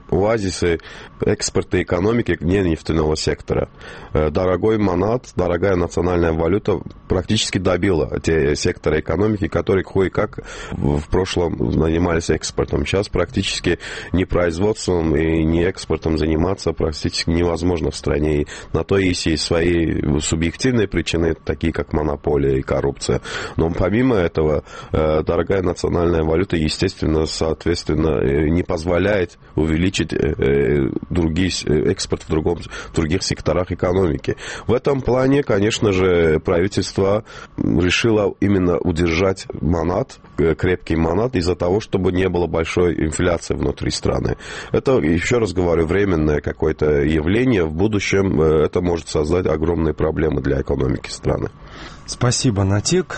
оазисы экспорта экономики не нефтяного сектора. Дорогой манат, дорогая национальная валюта практически добила те секторы экономики, которые кое-как в прошлом занимались экспортом. Сейчас практически ни производством и ни экспортом заниматься практически невозможно в стране. И на то есть свои субъективные причины, такие как монополия и коррупция. Но помимо этого, дорогая национальная валюта, естественно, соответственно, не позволяет увеличить экспорт в других секторах экономики. В этом плане, конечно же, правительство решило именно удержать манат, крепкий манат, из-за того, чтобы не было большой инфляции внутри страны. Это, еще раз говорю, временное какое-то явление. В будущем это может создать огромные проблемы для экономики страны. Спасибо, Натик.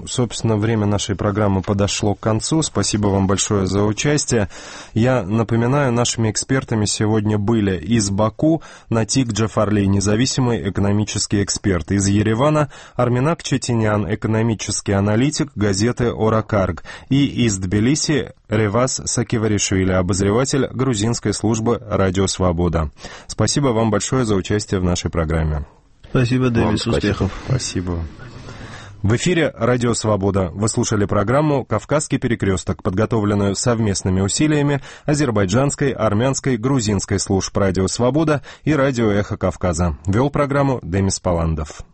Собственно, время нашей программы подошло к концу. Спасибо вам большое за участие. Я напоминаю, нашими экспертами сегодня были из Баку Натик Джафарли, независимый экономический эксперт, из Еревана Арменак Четинян, экономический аналитик газеты «Оракарг», и из Тбилиси Реваз Сакиваришвили, обозреватель грузинской службы «Радио Свобода». Спасибо вам большое за участие в нашей программе. Спасибо, Дэвис, успехов. Спасибо. В эфире «Радио Свобода». Вы слушали программу «Кавказский перекресток», подготовленную совместными усилиями азербайджанской, армянской, грузинской служб «Радио Свобода» и «Радио Эхо Кавказа». Вел программу Демис Паландов.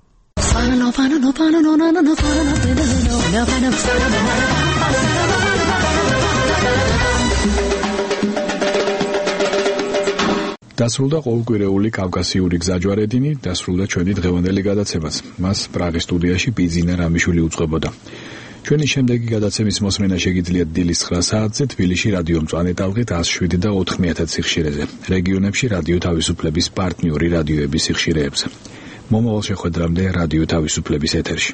დასრულდა ყოველკვირეული კავკასიური გზაჯვარედინი, დასრულდა ჩვენი დღევანდელი გადაცემაც. მას პრაღის სტუდიაში ბიზინა რამიშვილი უწყებოდა. ჩვენი შემდეგი გადაცემის მოსმენა შეგიძლიათ დილის 9 საათზე თბილისში რადიო მწვანე ტალღით 107 და 9000 სიხშირეზე, რეგიონებში რადიო თავისუფლების პარტნიორი რადიოების სიხშირეებზე. მომავალ შეხვედრამდე რადიო თავისუფლების ეთერში.